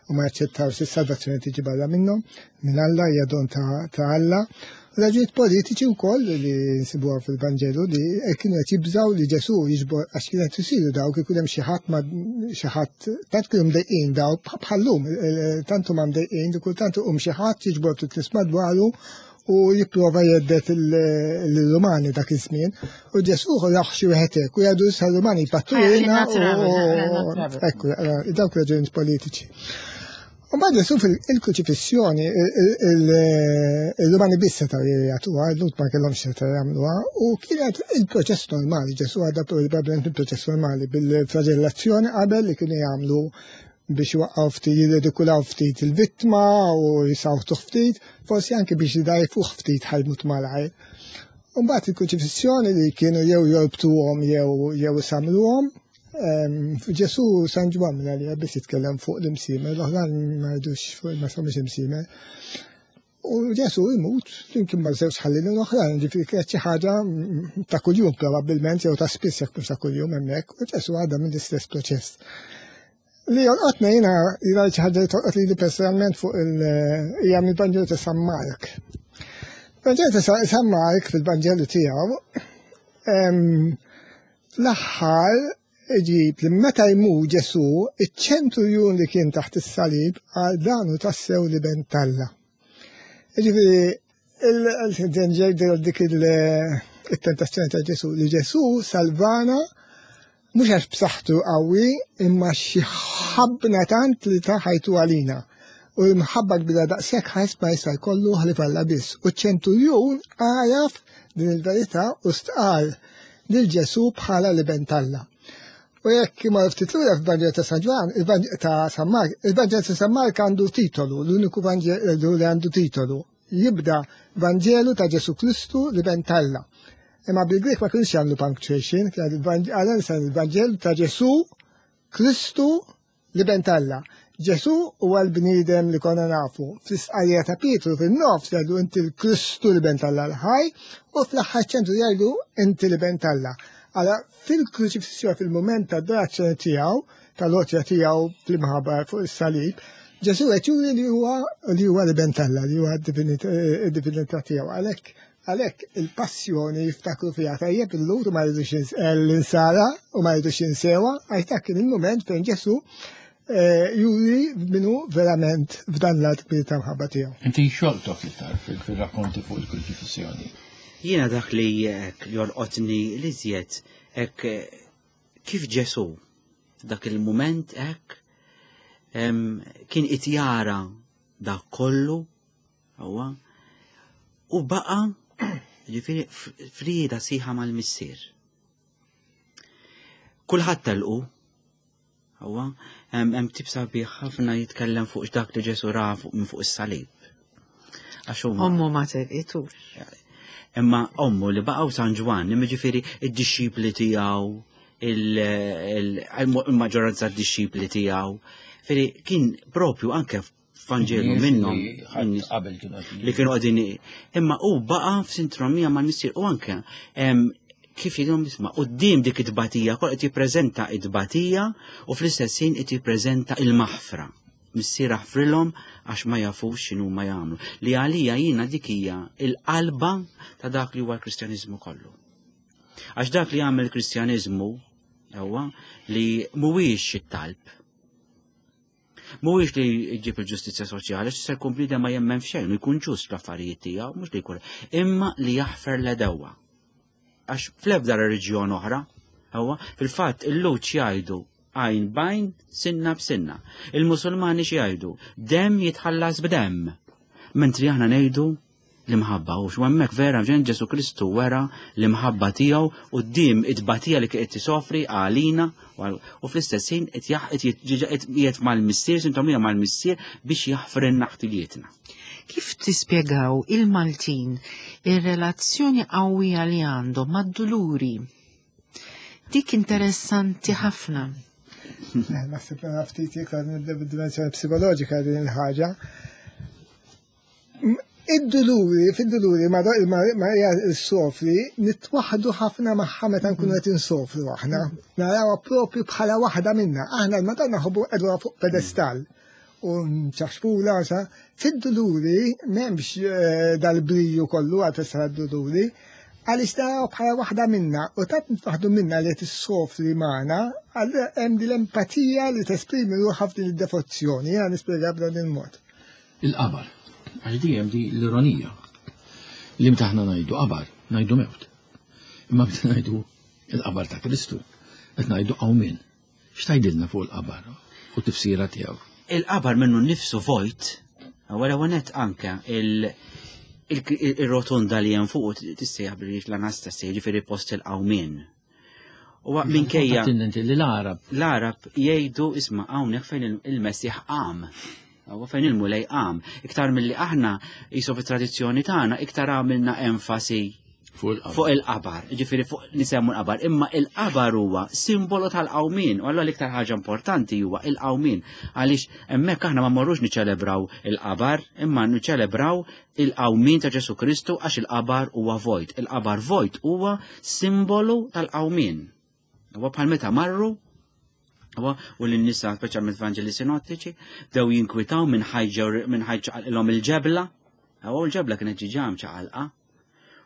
u ma jaċċettawx is-salvazzjoni tiġi barra minnhom, minn Alla hija don ta' Alla. Raġunijiet politiċi wkoll li nsibuha fil-Vanġelu li kienu qed jibżgħu li Ġesù jiġbor għax kien qed isiru dawk ikun hemm xi ħadd ma xi ħadd tant kienu mdejqin daw bħallum tant huma mdejqin li kultant iqum xi ħadd jiġbor ftit nies madwaru u jipprova jeddet l-Rumani dak iż-żmien. U Ġesù raħ xi wieħed hekk u jgħidu issa l-Rumani jpattulna u ekku dawk raġunijiet politiċi. U mbagħad Ġesù fil-kruċifissjoni il-Rumani biss setgħu jagħtuha, l-Lhud ma kellhomx setgħu jagħmluha, u kienet il-proċess normali, Ġesù għadda probabbilment il-proċess normali bil-flagellazzjoni qabel li kienu jagħmlu biex jwaqqgħu ftit, jirridikulaw ftit il-vittma u jisawtuh ftit, forsi anke biex jdajfuh ftit ħajmut malajr. U mbagħad il-kruċifissjoni li kienu jew jorbtuhom jew jew isamluhom, Ġesu San Ġwann minn għalija biss jitkellem fuq l-imsiemer, l-oħrajn ma jgħidux fuq ma semmux imsiemer. U Ġesu imut flimkien ma' żewġ ħallilin oħrajn, ġifieri kienet xi ħaġa ta' kuljum probabbilment jew ta' spiss jekk mhux ta' kuljum hemmhekk, u Ġesu għadda mill-istess proċess. Li jolqotna jiena jiena xi ħaġa li tolqot lili personalment fuq il hija mill-Vanġelu ta' San Mark. Vanġelu ta' San Mark fil-Vanġelu tiegħu Fl-aħħar iġib li meta jmut Ġesù, iċ-ċenturjun li kien taħt is-salib qal dan hu tassew l-Iben t'Alla. Jiġifieri dik il-tentazzjoni ta' Ġesù li Ġesù salvana mhux għax b'saħħtu qawwi imma xi ħabbna tant li ta ħajtu għalina. U l-mħabba kbira daqshekk ħadd ma jista' jkollu ħlief Alla biss. U ċ-ċenturjun għaraf din il-verità u stqarr lil Ġesù bħala l-Iben t'Alla. U jekk ma ftit lura fil-Vanġelu ta' San Ġwann, ta' San Mark, il-Vanġelu ta' San Mark għandu titolu, l-uniku Vanġelu li għandu titolu. Jibda Vanġelu ta' Ġesù Kristu l-Iben t'Alla. Imma bil-Grek ma kienx jagħmlu punctuation, kien il-Vanġelu ta' Ġesù Kristu L-Iben t'Alla. Ġesù huwa l-bniedem li konna nafu. Fl-istqarrija ta' Pietru fin-nofs jgħidu inti l-Kristu l-Iben t'Alla l-ħaj u fl-aħħar ċentru jgħidu inti l-Iben t'Alla. Għala fil-kruċifissjoni fil-mument ta' adorazzjoni tiegħu, tal-għotja tiegħu fl-imħabba fuq is-salib, Ġesù qed juri li huwa li huwa l-Iben t'Alla, li huwa d-divinità tiegħu. Għalhekk Għalhekk il-passjoni jiftakru fiha tajjeb il-Lhud u ma jridux eh, l-insara u ma jridux jinsewha, għax dak kien il-mument fejn Ġesù eh, juri minu verament f'dan l-att kbir ta' mħabba tiegħu. Inti xoltok iktar fil-rakkonti fuq il-kruċifissjoni. Jiena dak li jolqotni li żjed hekk eh, kif Ġesù dak il-mument hekk kien qed jara dak kollu Huwa u baqa' ġifieri frieda sieħa mal-missier. Kulħadd telqu. Huwa hemm tip sabiħ ħafna jitkellem fuq dak li Ġesu ra fuq minn fuq is-salib. Għax ommu ma telqitux. Imma ommu li baqgħu San Ġwann, imma ġifieri id-dixxipli tiegħu, il-maġġoranza d-dixxipli tiegħu. Fieri kien propju anke Vanġelu minnhom li kienu qegħdin imma hu baqa' f'sintromija mal-missier u anke kif jidhom isma' quddiem dik it-tbatija kol qed jippreżenta it-tbatija u fl-istess ħin qed jippreżenta il-maħfra. Missier aħfrilhom għax ma jafux x'inhu ma jagħmlu. Li għalija jiena dik hija il-qalba ta' dak li huwa l-Kristjaniżmu kollu. Għax dak li jagħmel il-Kristjaniżmu huwa li mhuwiex it-talb. Mhuwiex li jġib il-ġustizzja soċjali, għax se jkun bniedem ma jemmen f'xejn u jkun ġust fl-affarijiet tiegħu, mhux li jkun, imma li jaħfer l-edewwa. Għax fl-ebda reliġjon oħra, huwa fil-fatt il-Lhud jgħidu għajn b'għajn, sinna b'sinna. Il-Musulmani xi jgħidu? Demm jitħallas b'demm. Mentri aħna ngħidu l-imħabba u hemmhekk vera ġen Ġesu Kristu wera l-imħabba tiegħu quddiem it-tbatija li qed tisofri għalina u fl-istess ħin qed qiegħed mal-missier, sintomija mal-missier biex jaħfrilna ħtijietna. Kif tispjegaw il-Maltin ir-relazzjoni qawwija li għandhom mad-duluri? Dik interessanti ħafna. Eh, naħseb ftit iktar nibda psikoloġika din il-ħaġa. Id-duluri, fid-duluri, ma hija s-sofri, nitwaħdu ħafna magħha meta nkunu qed insofru aħna. Narawha propju bħala waħda minna. Aħna l-Madonna ħobbu qegħduha fuq pedestal u nċaxpula sa. Fid-duluri m'hemmx eh, dal-briju kollu għal festa d-duluri, għaliex naraw bħala waħda minna u tant nitwaħdu minna li qed issofri magħna, għal hemm din l-empatija li tesprimi ruħha f'din id-devozzjoni, jiena nispjega b'dan il-mod. Il-qabar. Għax dejjem di l-ironija. Li meta aħna ngħidu qabar, ngħidu mewt. Imma meta ngħidu il-qabar ta' Kristu, qed ngħidu qawmien. X'tgħidilna fuq il-qabar u tifsira tiegħu? Il-qabar minnu nnifsu vojt, għal ewwel anke il-rotonda li hemm fuq tissejjaħ bil l-Anastasi, jiġifieri post il-qawmien. U minkejja. Li l-Arab. L-Arab jgħidu isma' hawnhekk fejn il-Messiħ qam. Huwa fejn il-Mulej qam. Iktar milli aħna jisu fit-tradizzjoni tagħna iktar għamilna enfasi fuq il-qabar, ġifieri fuq nisemmu l-qabar, imma il-qabar huwa simbolu tal-qawmin, u allura l-iktar ħaġa importanti huwa il-qawmin, għaliex hemmhekk aħna ma mmorrux niċċelebraw il-qabar, imma niċċelebraw il-qawmien ta' Ġesu Kristu għax il-qabar huwa vojt. Il-qabar vojt huwa simbolu tal-qawmien. Huwa bħal meta marru huwa u lin-nisa speċjalment Vanġeli Sinottiċi bdew jinkwitaw minn ħajġa minn ħajġa il-ġebla. Huwa l-ġebla kienet ġiġa mċaqalqa.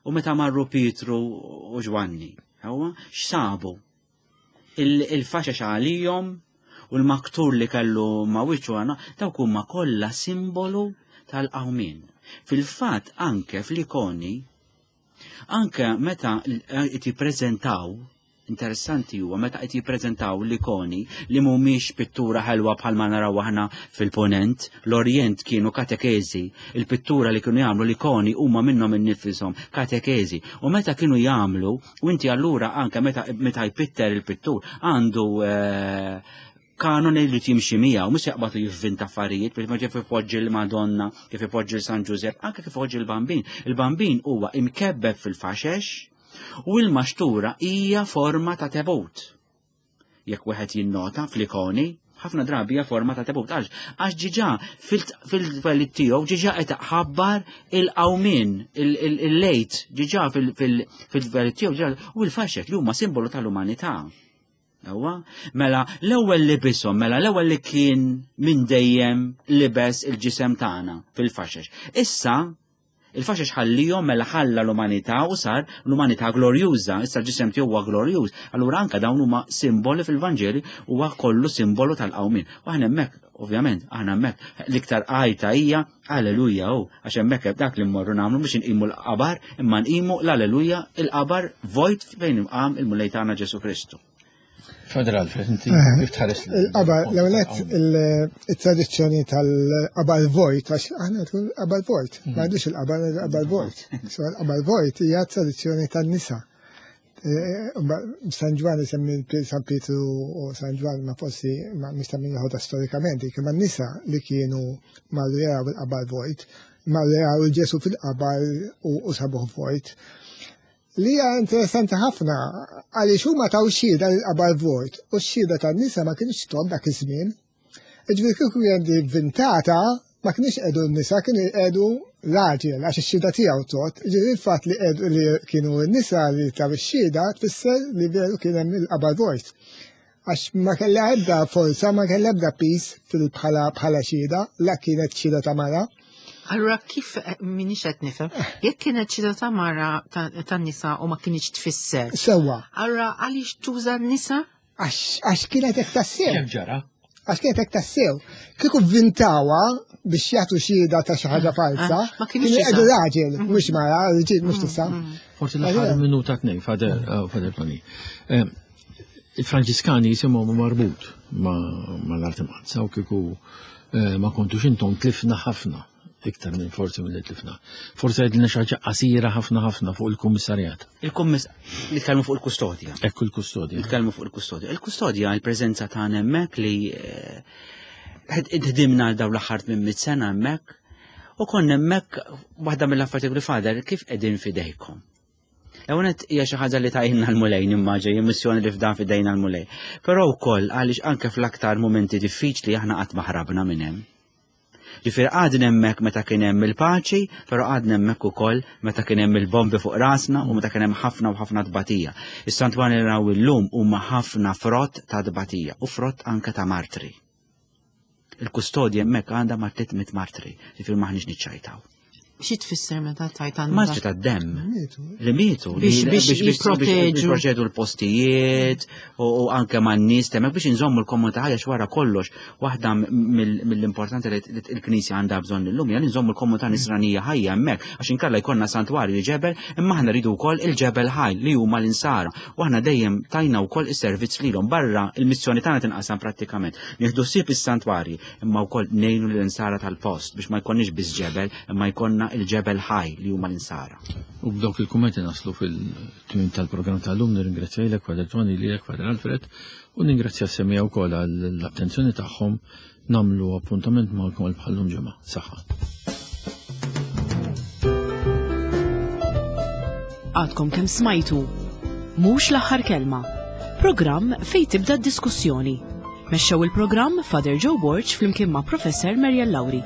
U meta marru Pietru u Ġwanni, huwa x'sabu? Il-faxex għalihom u l-maktur li kellu ma' wiċċu għana, dawk huma kollha simbolu tal-qawmien. Fil-fatt anke fl-ikoni, anke meta qed jippreżentaw, interessanti huwa meta qed jippreżentaw l-ikoni li mhumiex pittura ħelwa bħalma naraw aħna fil-ponent, l-Orjent kienu katekeżi, il-pittura li kienu jagħmlu l-ikoni huma minnhom innifishom katekeżi. U meta kienu jagħmlu U inti allura anke meta meta jpitter il-pittur għandu eh, kanoni li timxi miegħu, mhux jaqbad jivvinta affarijiet, biex ma kif ipoġġi l-Madonna, kif ipoġġi l-San Ġużepp, anke kif ipoġġi l-Bambin. Il-Bambin huwa imkebbeb fil-faxex u l-maxtura hija forma ta' tebut. Jekk wieħed jinnota fl-ikoni, ħafna drabi hija forma ta' tebut. Għax għax ġiġa fil-twelid tiegħu ġiġa qed ħabbar il-qawmien, il-lejt, ġiġa fil-twelid tiegħu ġiġa u l-faxek li huma simbolu tal-umanità. Ewa, mela l-ewwel libishom, mela l-ewwel li kien minn dejjem libes il-ġisem tagħna fil-faxex. Issa Il-faxex ħallihom mela ħalla l-umanità u sar l-umanità glorjuża, issa l-ġisem tiegħu huwa glorjuż. Allura anke dawn huma simboli fil-Vanġeli huwa kollu simbolu tal-qawmien. U aħna hemmhekk, ovvjament, aħna hemmhekk l-iktar għajta hija Alleluja hu, għax hemmhekk dak li mmorru nagħmlu biex inqimu l-qabar, imma nqimu l-Alleluja il-qabar vojt fejn imqam il-Mulej tagħna Ġesu Kristu. Father Alfred, inti eh, kif tħares? Il-qabar, l-ewlet il-tradizzjoni tal-qabar vojt, għax aħna tkun qabar vojt, ma mhm. għandix il-qabar, il-qabar vojt. So il-qabar vojt hija tradizzjoni tan-nisa. Eh, San Ġwan isemmi San Pietru u San Ġwan ma forsi ma mista min joħodha storikament, imma n-nisa li kienu marru jaraw il-qabar vojt, marru jaraw il-Ġesu fil-qabar u sabuh vojt. Li hija interessanti ħafna għaliex huma taw xhieda lil qabar vojt u x-xhieda tan-nisa ma kienx tgħodd dak iż-żmien. Iġifieri kieku kien vintata ma kienx qegħdu n-nisa kienu jqegħdu raġel għax ix-xhieda tiegħu tgħodd. Ġifieri il-fatt li qegħdu li kienu n-nisa li taw ix-xhieda tfisser li veru kien hemm il-qabar vojt. Għax ma kellha ebda forza, ma kellha ebda pis bħala bħala xhieda, la kienet xhieda ta' mara. Allura kif eh, minix qed nifhem, jekk kienet xhieda ta' mara tan-nisa u ma kienx tfisser. Sewwa. Allura għaliex tuża n-nisa? Għax kienet hekk tassew. Kemm ġara? Għax kienet hekk tassew. Kieku vvintawa biex jagħtu xhieda ta' xi ħaġa ah, falsa, ah, ma kienux jgħidu raġel, mm. mhux mara, rġiel mhux mm, tisa. Mm. Forsi l-aħħar minuta tnejn, Fader eh, Tony. Eh, Il-Franġiskani jisimhom marbut ma' l-Art Imqaddsa u kieku eh, ma kontux intom tlifna ħafna iktar minn forsi mill tlifna. Forsi għedlina xi ħaġa qasira ħafna ħafna fuq il-kummissarjat. Il-kummiss nitkellmu fuq il-kustodja. Ekku il-kustodja. Nitkellmu fuq il-kustodja. Il-kustodja il-preżenza tagħna hemmhekk li eh, ħdimna għal dawn l-aħħar 800 sena hemmhekk u konna hemmhekk waħda mill-affarijiet li fader kif qegħdin fidejkom. L-ewwel hija xi ħaġa li tajna l-Mulej nimmaġa, hija missjoni li fdan fidejna l-Mulej. Però wkoll għaliex anke fl-aktar mumenti diffiċli aħna qatt ma ħrabna minn hemm. Ġifieri qgħadna hemmhekk meta kien hemm il-paċi, però qgħadna hemmhekk ukoll meta kien hemm il-bombi fuq rasna u meta kien hemm ħafna u ħafna tbatija. Is-santwarji li naraw illum huma ħafna frott ta' tbatija u frott anke ta' martri. Il-kustodja hemmhekk għandha ma' 300 martri, ġifieri m'aħniex niċċajtaw. Xi tfisser meta tajt għandha? Martri tad-demm. Li mietu. Biex jipproteġu. Jipproteġu l-postijiet u anke man-nies temmek biex inżommu l-komunità ħajja wara kollox. Waħda mill-importanti li l-Knisja għandha bżonn illum hija li nżommu l-komunità nisranija ħajja hemmhekk għax inkella jkollna santwarju ġebel imma aħna rridu wkoll il-ġebel ħaj li huma l-insara u aħna dejjem tajna wkoll is-servizz lilhom barra il-missjoni tagħna tinqasam prattikament. Nieħdu ħsieb is-santwarji imma wkoll ngħinu lill-insara tal-post biex ma jkollniex biss ġebel, imma jkollna il-ġebel ħaj li huma l-insara. U b'dawk il-kummenti naslu fil-tmiem tal-programm tal-lum nirringrazzja lilek Father Tony, lilek Father Alfred u ningrazzja s-semmiegħa wkoll għall-attenzjoni tagħhom nagħmlu appuntament magħkom għal bħallum ġimgħa. Saħħa. Għadkom kemm smajtu Mhux l-aħħar kelma. Programm fejn tibda d-diskussjoni. Mexxew il-programm Father Joe Borg flimkien ma' Professor Mariel Lauri.